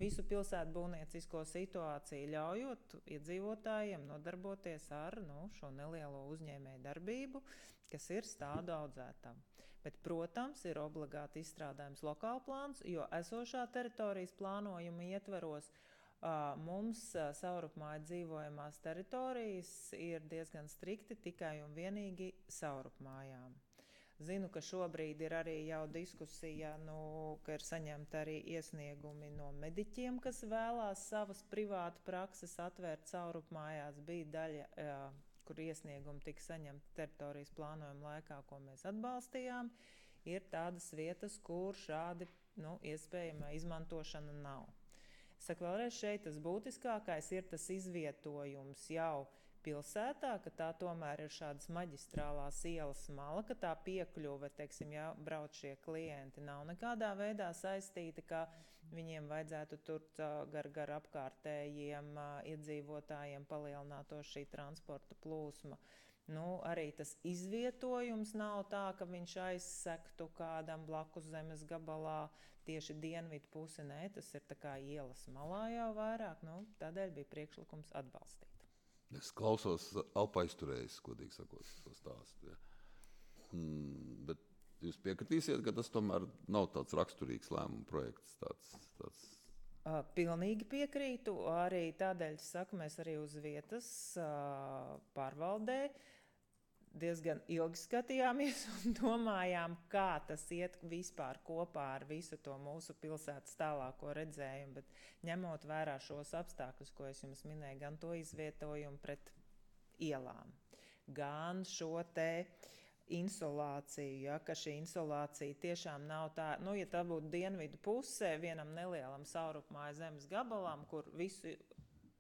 visu pilsētu būvniecisko situāciju, ļaujot iedzīvotājiem nodarboties ar šo nelielo uzņēmēju darbību, kas ir stādu audzētava. Bet, protams, ir obligāti izstrādājums lokāla plāns, jo esošā teritorijas plānojuma ietveros mums saurupmāju dzīvojamās teritorijas ir diezgan strikti tikai un vienīgi saurupmājām. Zinu, ka šobrīd ir arī jau diskusija, ka ir saņemta arī iesniegumi no mediķiem, kas vēlās savas privātu prakses atvērt saurupmājās. Bija daļa, kur iesniegumi tika saņemti teritorijas plānojuma laikā, ko mēs atbalstījām. Ir tādas vietas, kur šādi iespējama izmantošana nav. Saku vēlreiz, šeit tas būtiskākais ir tas izvietojums jau pilsētā, ka tā tomēr ir šādas maģistrālās ielas mala, ka tā piekļuve, ja brauc šie klienti, nav nekādā veidā saistīta, ka viņiem vajadzētu tur gar apkārtējiem iedzīvotājiem palielinātos šī transporta plūsma. Arī tas izvietojums nav tā, ka viņš aizsektu kādam blakus zemes gabalā tieši dienvidu pusi. Nē, tas ir tā kā ielas malā jau vairāk, tādēļ bija priekšlikums atbalstīt. Es klausos alpaizturējis, godīgi sakot, to stāstu. Ja. Bet jūs piekritīsiet, ka tas tomēr nav tāds raksturīgs lēmuma projekts, tāds Pilnīgi piekrītu, arī tādēļ saku, mēs arī uz vietas pārvaldē diezgan ilgi skatījāmies un domājām, kā tas iet vispār kopā ar visu to mūsu pilsētas tālāko redzējumu, bet ņemot vērā šos apstākļus, ko es jums minēju, gan to izvietojumu pret ielām, gan šo te insolāciju, ka šī insolācija tiešām nav tā, ja tā būtu dienvidu pusē vienam nelielam saurupmāju zemes gabalam, kur visu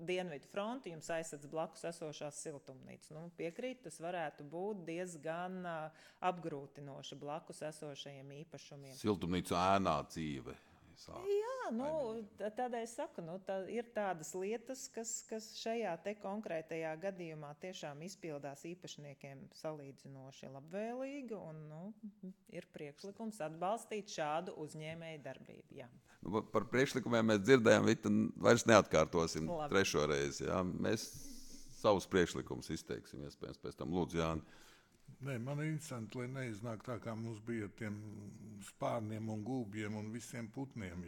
dienvidu fronti jums aizsadz blakus esošās siltumnīcas. Piekrīt, tas varētu būt diezgan apgrūtinoši blakus esošajiem īpašumiem. Siltumnīcu ēnā dzīve. Jā, tādēļ saku, ir tādas lietas, kas šajā te konkrētajā gadījumā tiešām izpildās īpašniekiem salīdzinoši labvēlīgi un ir priekšlikums atbalstīt šādu uzņēmēju darbību. Jā. Par priekšlikumiem mēs dzirdējām, Vita, vairs neatkārtosim trešo reizi. Jā. Mēs savus priekšlikumus izteiksim, iespējams, pēc tam lūdzu, Jāni. Nē, man ir interesanti, lai neiznāk tā, kā mums bija ar tiem spārniem un gulbjiem un visiem putniem.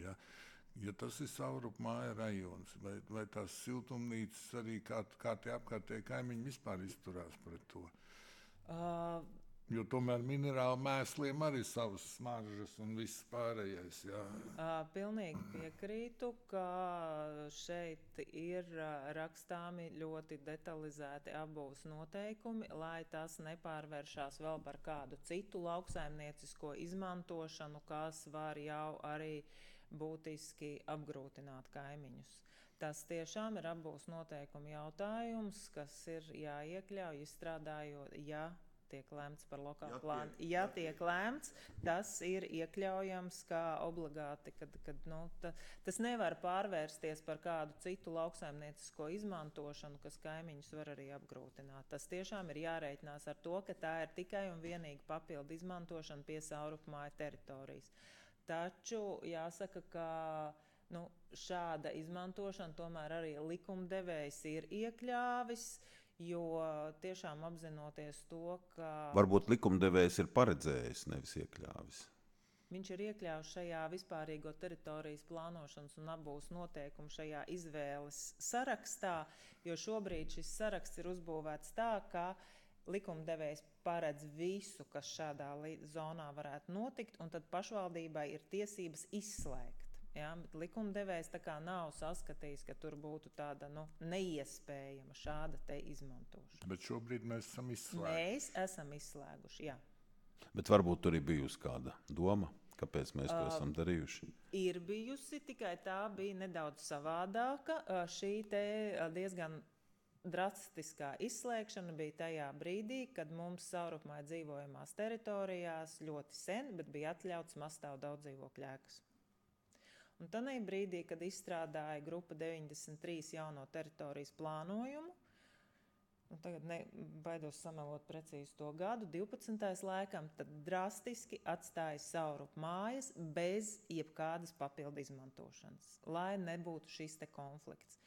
Ja tas ir saurupmāja rajons, vai tās siltumnīcas arī kā tie apkārtēji kaimiņi vispār izturās pret to? Jo tomēr minerālu mēsliem arī savas smaržas un viss pārējais. Pilnīgi piekrītu, ka šeit ir rakstāmi ļoti detalizēti apbūves noteikumi, lai tas nepārvēršās vēl par kādu citu lauksaimniecisko izmantošanu, kas var jau arī būtiski apgrūtināt kaimiņus. Tas tiešām ir apbūves noteikumu jautājums, kas ir jāiekļauj izstrādājot, tiek lēmts par lokālu plānu. Ja tiek lēmts, tas ir iekļaujams kā obligāti, kad tas nevar pārvērsties par kādu citu lauksaimniecisko izmantošanu, kas kaimiņus var arī apgrūtināt. Tas tiešām ir jārēķinās ar to, ka tā ir tikai un vienīgi papildu izmantošana pie saurupmāju teritorijas. Taču jāsaka, ka šāda izmantošana tomēr arī likumdevējs ir iekļāvis, jo tiešām apzinoties to, ka... Varbūt likumdevējs ir paredzējis, nevis iekļāvis. viņš ir iekļauts šajā vispārīgo teritorijas plānošanas un apbūves noteikumu šajā izvēles sarakstā, jo šobrīd šis saraksts ir uzbūvēts tā, ka likumdevējs paredz visu, kas šādā zonā varētu notikt, un tad pašvaldībai ir tiesības izslēgt. Ja, bet likumdevējs tā kā nav saskatījis, ka tur būtu tāda neiespējama šāda te izmantošana. Bet šobrīd mēs esam izslēguši. Mēs esam izslēguši, jā. Bet varbūt tur ir bijusi kāda doma, kāpēc mēs to esam darījuši. Ir bijusi, tikai tā bija nedaudz savādāka. Šī te diezgan drastiskā izslēgšana bija tajā brīdī, kad mums saurupmāja dzīvojamās teritorijās ļoti sen, bet bija atļauts mazstāvu daudzdzīvokļu ēkas. Un tanī brīdī, kad izstrādāja grupa 93 jauno teritorijas plānojumu, un tagad baidos samelot precīzi to gadu, 12. laikam, tad drastiski atstāja saurupmājas bez jebkādas papildu izmantošanas, lai nebūtu šis te konflikts.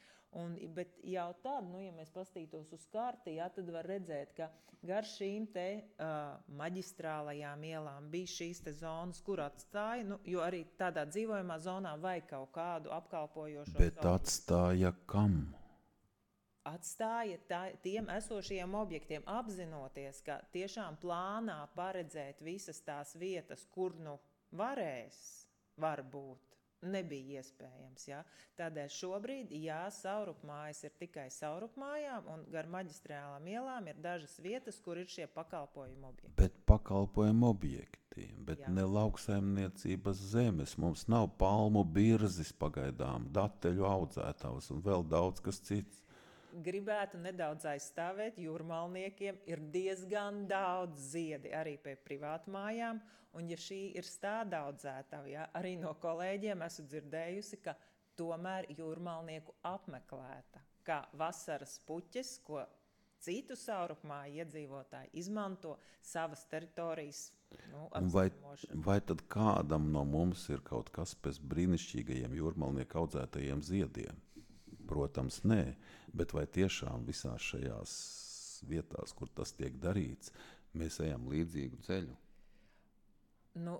Bet jau tad, ja mēs pastītos uz karti, tad var redzēt, ka gar šīm te maģistrālajām ielām bija šīs te zonas, kur atstāja, jo arī tādā dzīvojamā zonā vai kaut kādu apkalpojošo Bet atstāja kam? Atstāja tiem esošajiem objektiem, apzinoties, ka tiešām plānā paredzēt visas tās vietas, kur varbūt nebija iespējams. Ja? Tādēļ šobrīd, saurupmājas ir tikai saurupmājām, un gar maģistrālām ielām ir dažas vietas, kur ir šie pakalpojumu objekti. Bet pakalpojumu objekti, bet ne lauksaimniecības zemes. Mums nav palmu birzes pagaidām, dateļu audzētavas un vēl daudz kas cits. Gribētu nedaudz aizstāvēt, jūrmalniekiem ir diezgan daudz ziedi arī pie privātmājām, un ja šī ir stāda audzētava, arī no kolēģiem esmu dzirdējusi, ka tomēr jūrmalnieku apmeklēta, kā vasaras puķes, ko citu saurupmāju iedzīvotāji izmanto savas teritorijas apzīmošanai. Vai tad kādam no mums ir kaut kas pēc brīnišķīgajiem jūrmalnieku audzētajiem ziediem? Protams, nē, bet vai tiešām visās šajās vietās, kur tas tiek darīts, mēs ejam līdzīgu ceļu?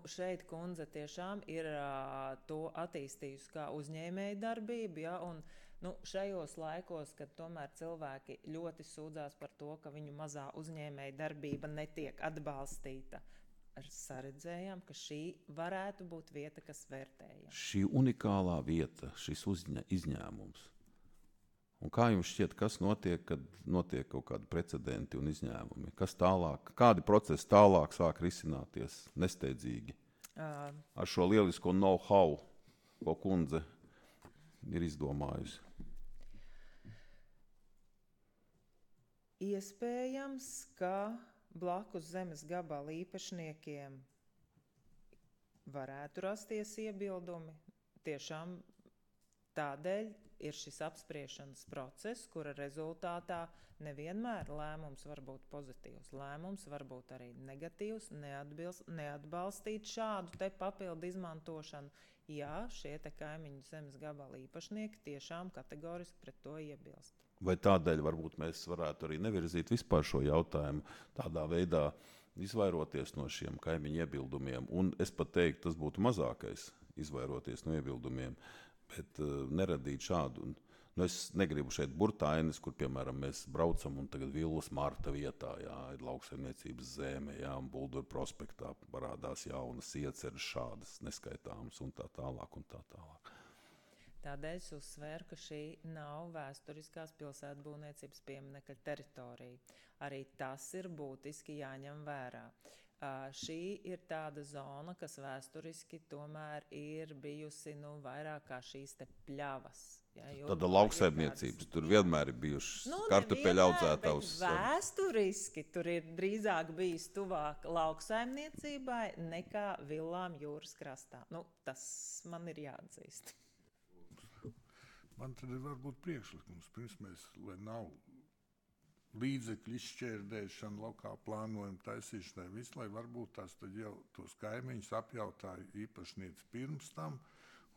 Šeit kundze tiešām ir to attīstījusi kā uzņēmēja darbību, un šajos laikos, kad tomēr cilvēki ļoti sūdzās par to, ka viņu mazā uzņēmēja darbība netiek atbalstīta, saredzējām, ka šī varētu būt vieta, kas vērtējama. Šī unikālā vieta, šis izņēmums. Un kā jums šķiet, kas notiek, kad notiek kaut kādi precedenti un izņēmumi? Kas tālāk, kādi procesi tālāk sāk risināties nesteidzīgi? Ar šo lielisko know-how, ko kundze ir izdomājusi? Iespējams, ka blakus zemes gabala īpašniekiem varētu rasties iebildumi. Tiešām tādēļ ir šis apspriešanas process, kura rezultātā nevienmēr lēmums var būt pozitīvs. Lēmums var būt arī negatīvs, neatbalstīt šādu te papildu izmantošanu. Jā, šie te kaimiņu zemes gabala īpašnieki tiešām kategoriski pret to iebilst. Vai tādēļ varbūt mēs varētu arī nevirzīt vispār šo jautājumu tādā veidā, izvairoties no šiem kaimiņu iebildumiem? Un es pat teiktu, tas būtu mazākais izvairoties no iebildumiem. Bet neradīt šādu. Es negribu šeit burtainis, kur, piemēram, mēs braucam un tagad Villas Marta vietā, ir lauksaimniecības zeme, un Bulduru prospektā parādās jaunas ieceres šādas neskaitāmas un tā tālāk un tā tālāk. Tādēļ es uzsvēru, ka šī nav vēsturiskās pilsētbūvniecības pieminekļa teritorija. Arī tas ir būtiski jāņem vērā. Šī ir tāda zona, kas vēsturiski tomēr ir bijusi vairāk kā šīs te pļavas. Tāda lauksaimniecības, tur vienmēr ir bijušas kartupeļu audzētavas. Vēsturiski tur ir drīzāk bijis tuvāk lauksaimniecībai nekā villām jūras krastā. Tas man ir jāatzīst. Man tad ir varbūt priekšlikums, pirms mēs, lai nav līdzekļu izšķērdēšana, lokāla plānojuma taisīšanai, visu, lai varbūt tās tad jau tos kaimiņus apjautāja īpašnieci pirms tam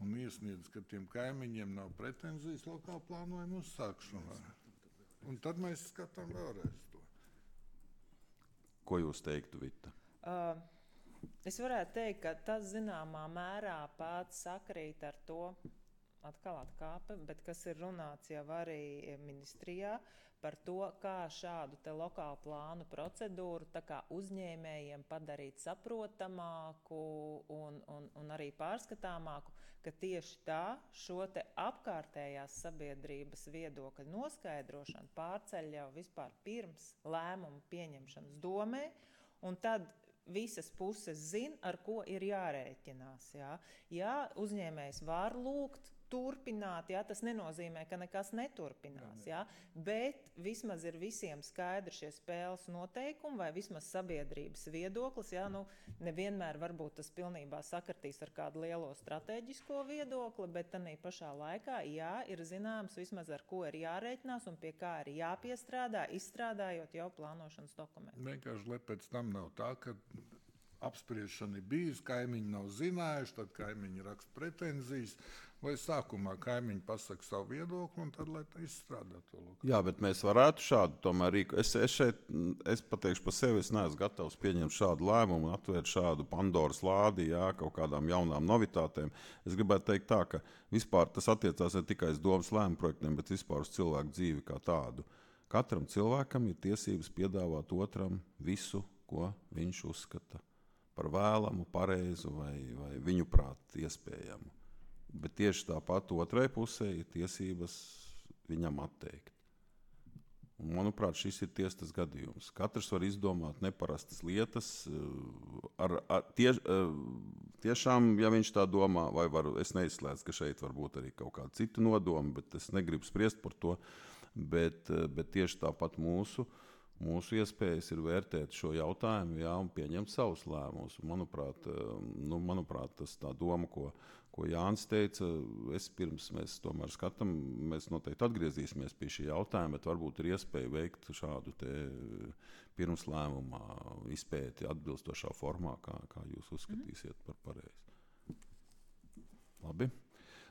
un iesniedz, ka tiem kaimiņiem nav pretenzijas lokāla plānojuma uzsākšanai. Un tad mēs skatām vēlreiz to. Ko jūs teiktu, Vita? Es varētu teikt, ka tas zināmā mērā pats sakrīt ar to, atkal atkāpe, bet kas ir runāts jau arī ministrijā par to, kā šādu te lokālu plānu procedūru tā kā uzņēmējiem padarīt saprotamāku un arī pārskatāmāku, ka tieši tā šo te apkārtējās sabiedrības viedokļa noskaidrošanu pārceļ jau vispār pirms lēmumu pieņemšanas domē, un tad visas puses zina, ar ko ir jārēķinās. Jā, uzņēmējs var lūgt turpināt, tas nenozīmē, ka nekas neturpinās, bet vismaz ir visiem skaidri šie spēles noteikumi vai vismaz sabiedrības viedoklis, nevienmēr varbūt tas pilnībā sakritīs ar kādu lielo strateģisko viedokli, bet tanī pašā laikā, ir zināms vismaz ar ko ir jārēķinās un pie kā ir jāpiestrādā, izstrādājot jau plānošanas dokumentu. Vienkārši, lai pēc tam nav tā, ka apspriešana ir bijusi, kaimiņi nav zinājuši, tad kaimiņi raksta pretenzijas, lai sākumā kaimiņi pasaka savu viedokli un tad, lai tā izstrādā to loku. Jā, bet mēs varētu šādu tomēr rīku. Es pateikšu par sevi, es neesmu gatavs pieņemt šādu lēmumu un atvērt šādu Pandoras lādi, kaut kādām jaunām novitātēm. Es gribētu teikt tā, ka vispār tas attiecās ne tikai uz domas lēmumu projektiem, bet vispār uz cilvēku dzīvi kā tādu. Katram cilvēkam ir tiesības piedāvāt otram visu, ko viņš uzskata par vēlamu, pareizu vai viņu prāt iespējamu. Bet tieši tāpat otrai pusē ir tiesības viņam atteikt. Un, manuprāt, šis ir tiesas gadījums. Katrs var izdomāt neparastas lietas. Tiešām, ja viņš tā domā, es neizslēdzu, ka šeit var būt arī kaut kāda cita nodoma, bet es negribu spriest par to. Bet tieši tāpat mūsu iespējas ir vērtēt šo jautājumu un pieņemt savus lēmumus. Manuprāt, tas tā doma, ko Jānis teica, pirms mēs tomēr skatām, mēs noteikti atgriezīsimies pie šī jautājuma, bet varbūt ir iespēja veikt šādu te pirms lēmumā izpēti atbilstošā formā, kā jūs uzskatīsiet par pareizi. Labi.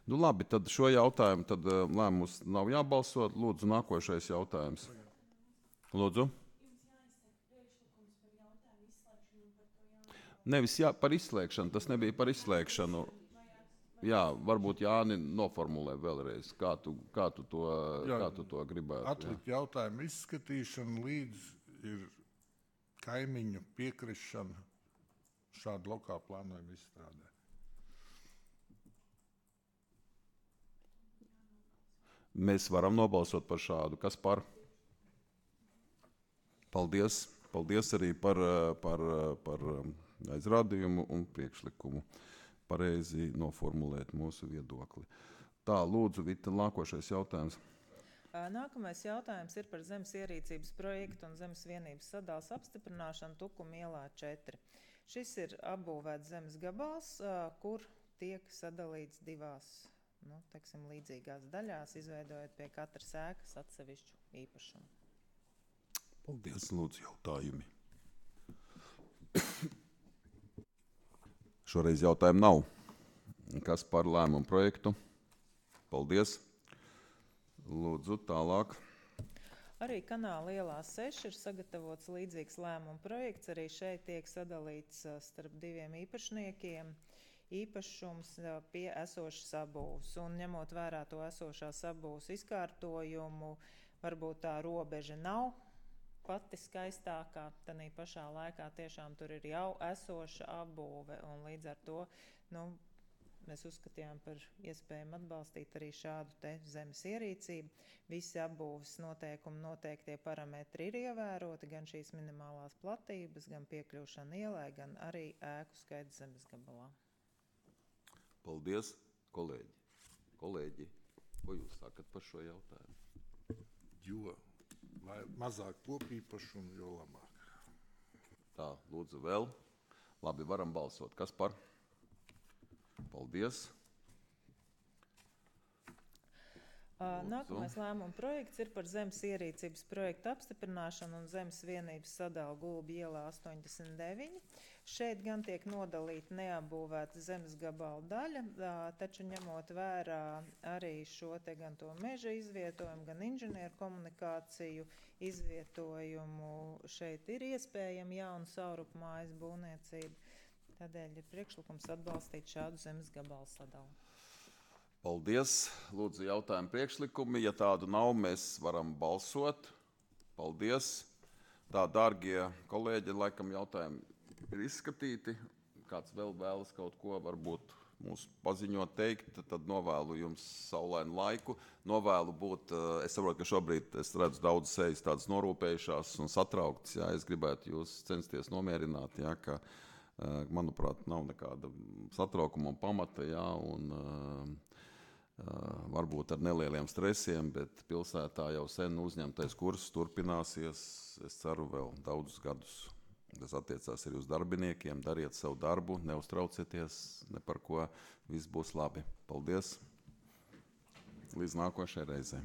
Labi, tad šo jautājumu lēmums nav jābalso. Lūdzu, nākošais jautājums. Lūdzu. Nevis par izslēgšanu, tas nebija par izslēgšanu. Jā, varbūt Jāni noformulē vēlreiz, kā tu to gribētu. Atlikt jautājumu izskatīšanu līdz ir kaimiņu piekrišana šādu lokālu plānojumu izstrādē. Mēs varam nobalsot par šādu. Kas par? Paldies. Paldies arī par aizrādījumu un priekšlikumu pareizi noformulēt mūsu viedokli. Tā, lūdzu, Vita, nākošais jautājums. Nākamais jautājums ir par zemes ierīcības projektu un zemes vienības sadalas apstiprināšanu Tukuma ielā 4. Šis ir apbūvēts zemes gabals, kur tiek sadalīts divās līdzīgās daļās, izveidojot pie katras ēkas atsevišķu īpašumu. Paldies, lūdzu, jautājumi. Šoreiz jautājumu nav. Kas par lēmumu projektu? Paldies. Lūdzu, tālāk. Arī Kanāla ielā 6 ir sagatavots līdzīgs lēmumu projekts. Arī šeit tiek sadalīts starp diviem īpašniekiem īpašums pie esošas sabūves. Un ņemot vērā to esošās sabūves izkārtojumu, varbūt tā robeža nav pati skaistākā, tanī pašā laikā tiešām tur ir jau esoša apbūve, un līdz ar to mēs uzskatījām par iespējumu atbalstīt arī šādu te zemes ierīcību. Visi apbūves noteikumi, noteiktie parametri ir ievēroti, gan šīs minimālās platības, gan piekļūšana ielai, gan arī ēku skaits zemes gabalā. Paldies, kolēģi. Kolēģi, ko jūs sakat par šo jautājumu? Jo mazāk kopīpašumu, jo labāk. Tā, lūdzu vēl. Labi, varam balsot. Kas par? Paldies. Nākamais lēmuma projekts ir par zemes ierīcības projektu apstiprināšanu un zemes vienības sadalu Gulbi ielā 89. Šeit gan tiek nodalīta neapbūvēta zemes gabala daļa, taču ņemot vērā arī šo te gan to meža izvietojumu, gan inženieru komunikāciju izvietojumu, šeit ir iespējama jauna saurupmājas būvniecība. Tādēļ ir priekšlikums atbalstīt šādu zemes gabalu sadalu. Paldies. Lūdzu, jautājumu priekšlikumi. Ja tādu nav, mēs varam balsot. Paldies. Tā, dārgie kolēģi, laikam jautājumi ir izskatīti. Kāds vēl vēlas kaut ko varbūt mūs paziņot, teikt, tad novēlu jums saulainu laiku. Novēlu būt, es saprotu, ka šobrīd es redzu daudz sejas tādas norūpējušās un satrauktas. Jā, es gribētu jūs censties nomierināt, jā, ka, manuprāt, nav nekāda satraukuma un pamata, jā, un varbūt ar nelieliem stresiem, bet pilsētā jau sen uzņemtais kurs turpināsies, es ceru, vēl daudzus gadus. Tas attiecās arī uz darbiniekiem. Dariet savu darbu, neuztraucieties ne par ko. Viss būs labi. Paldies! Līdz nākošajai reizei!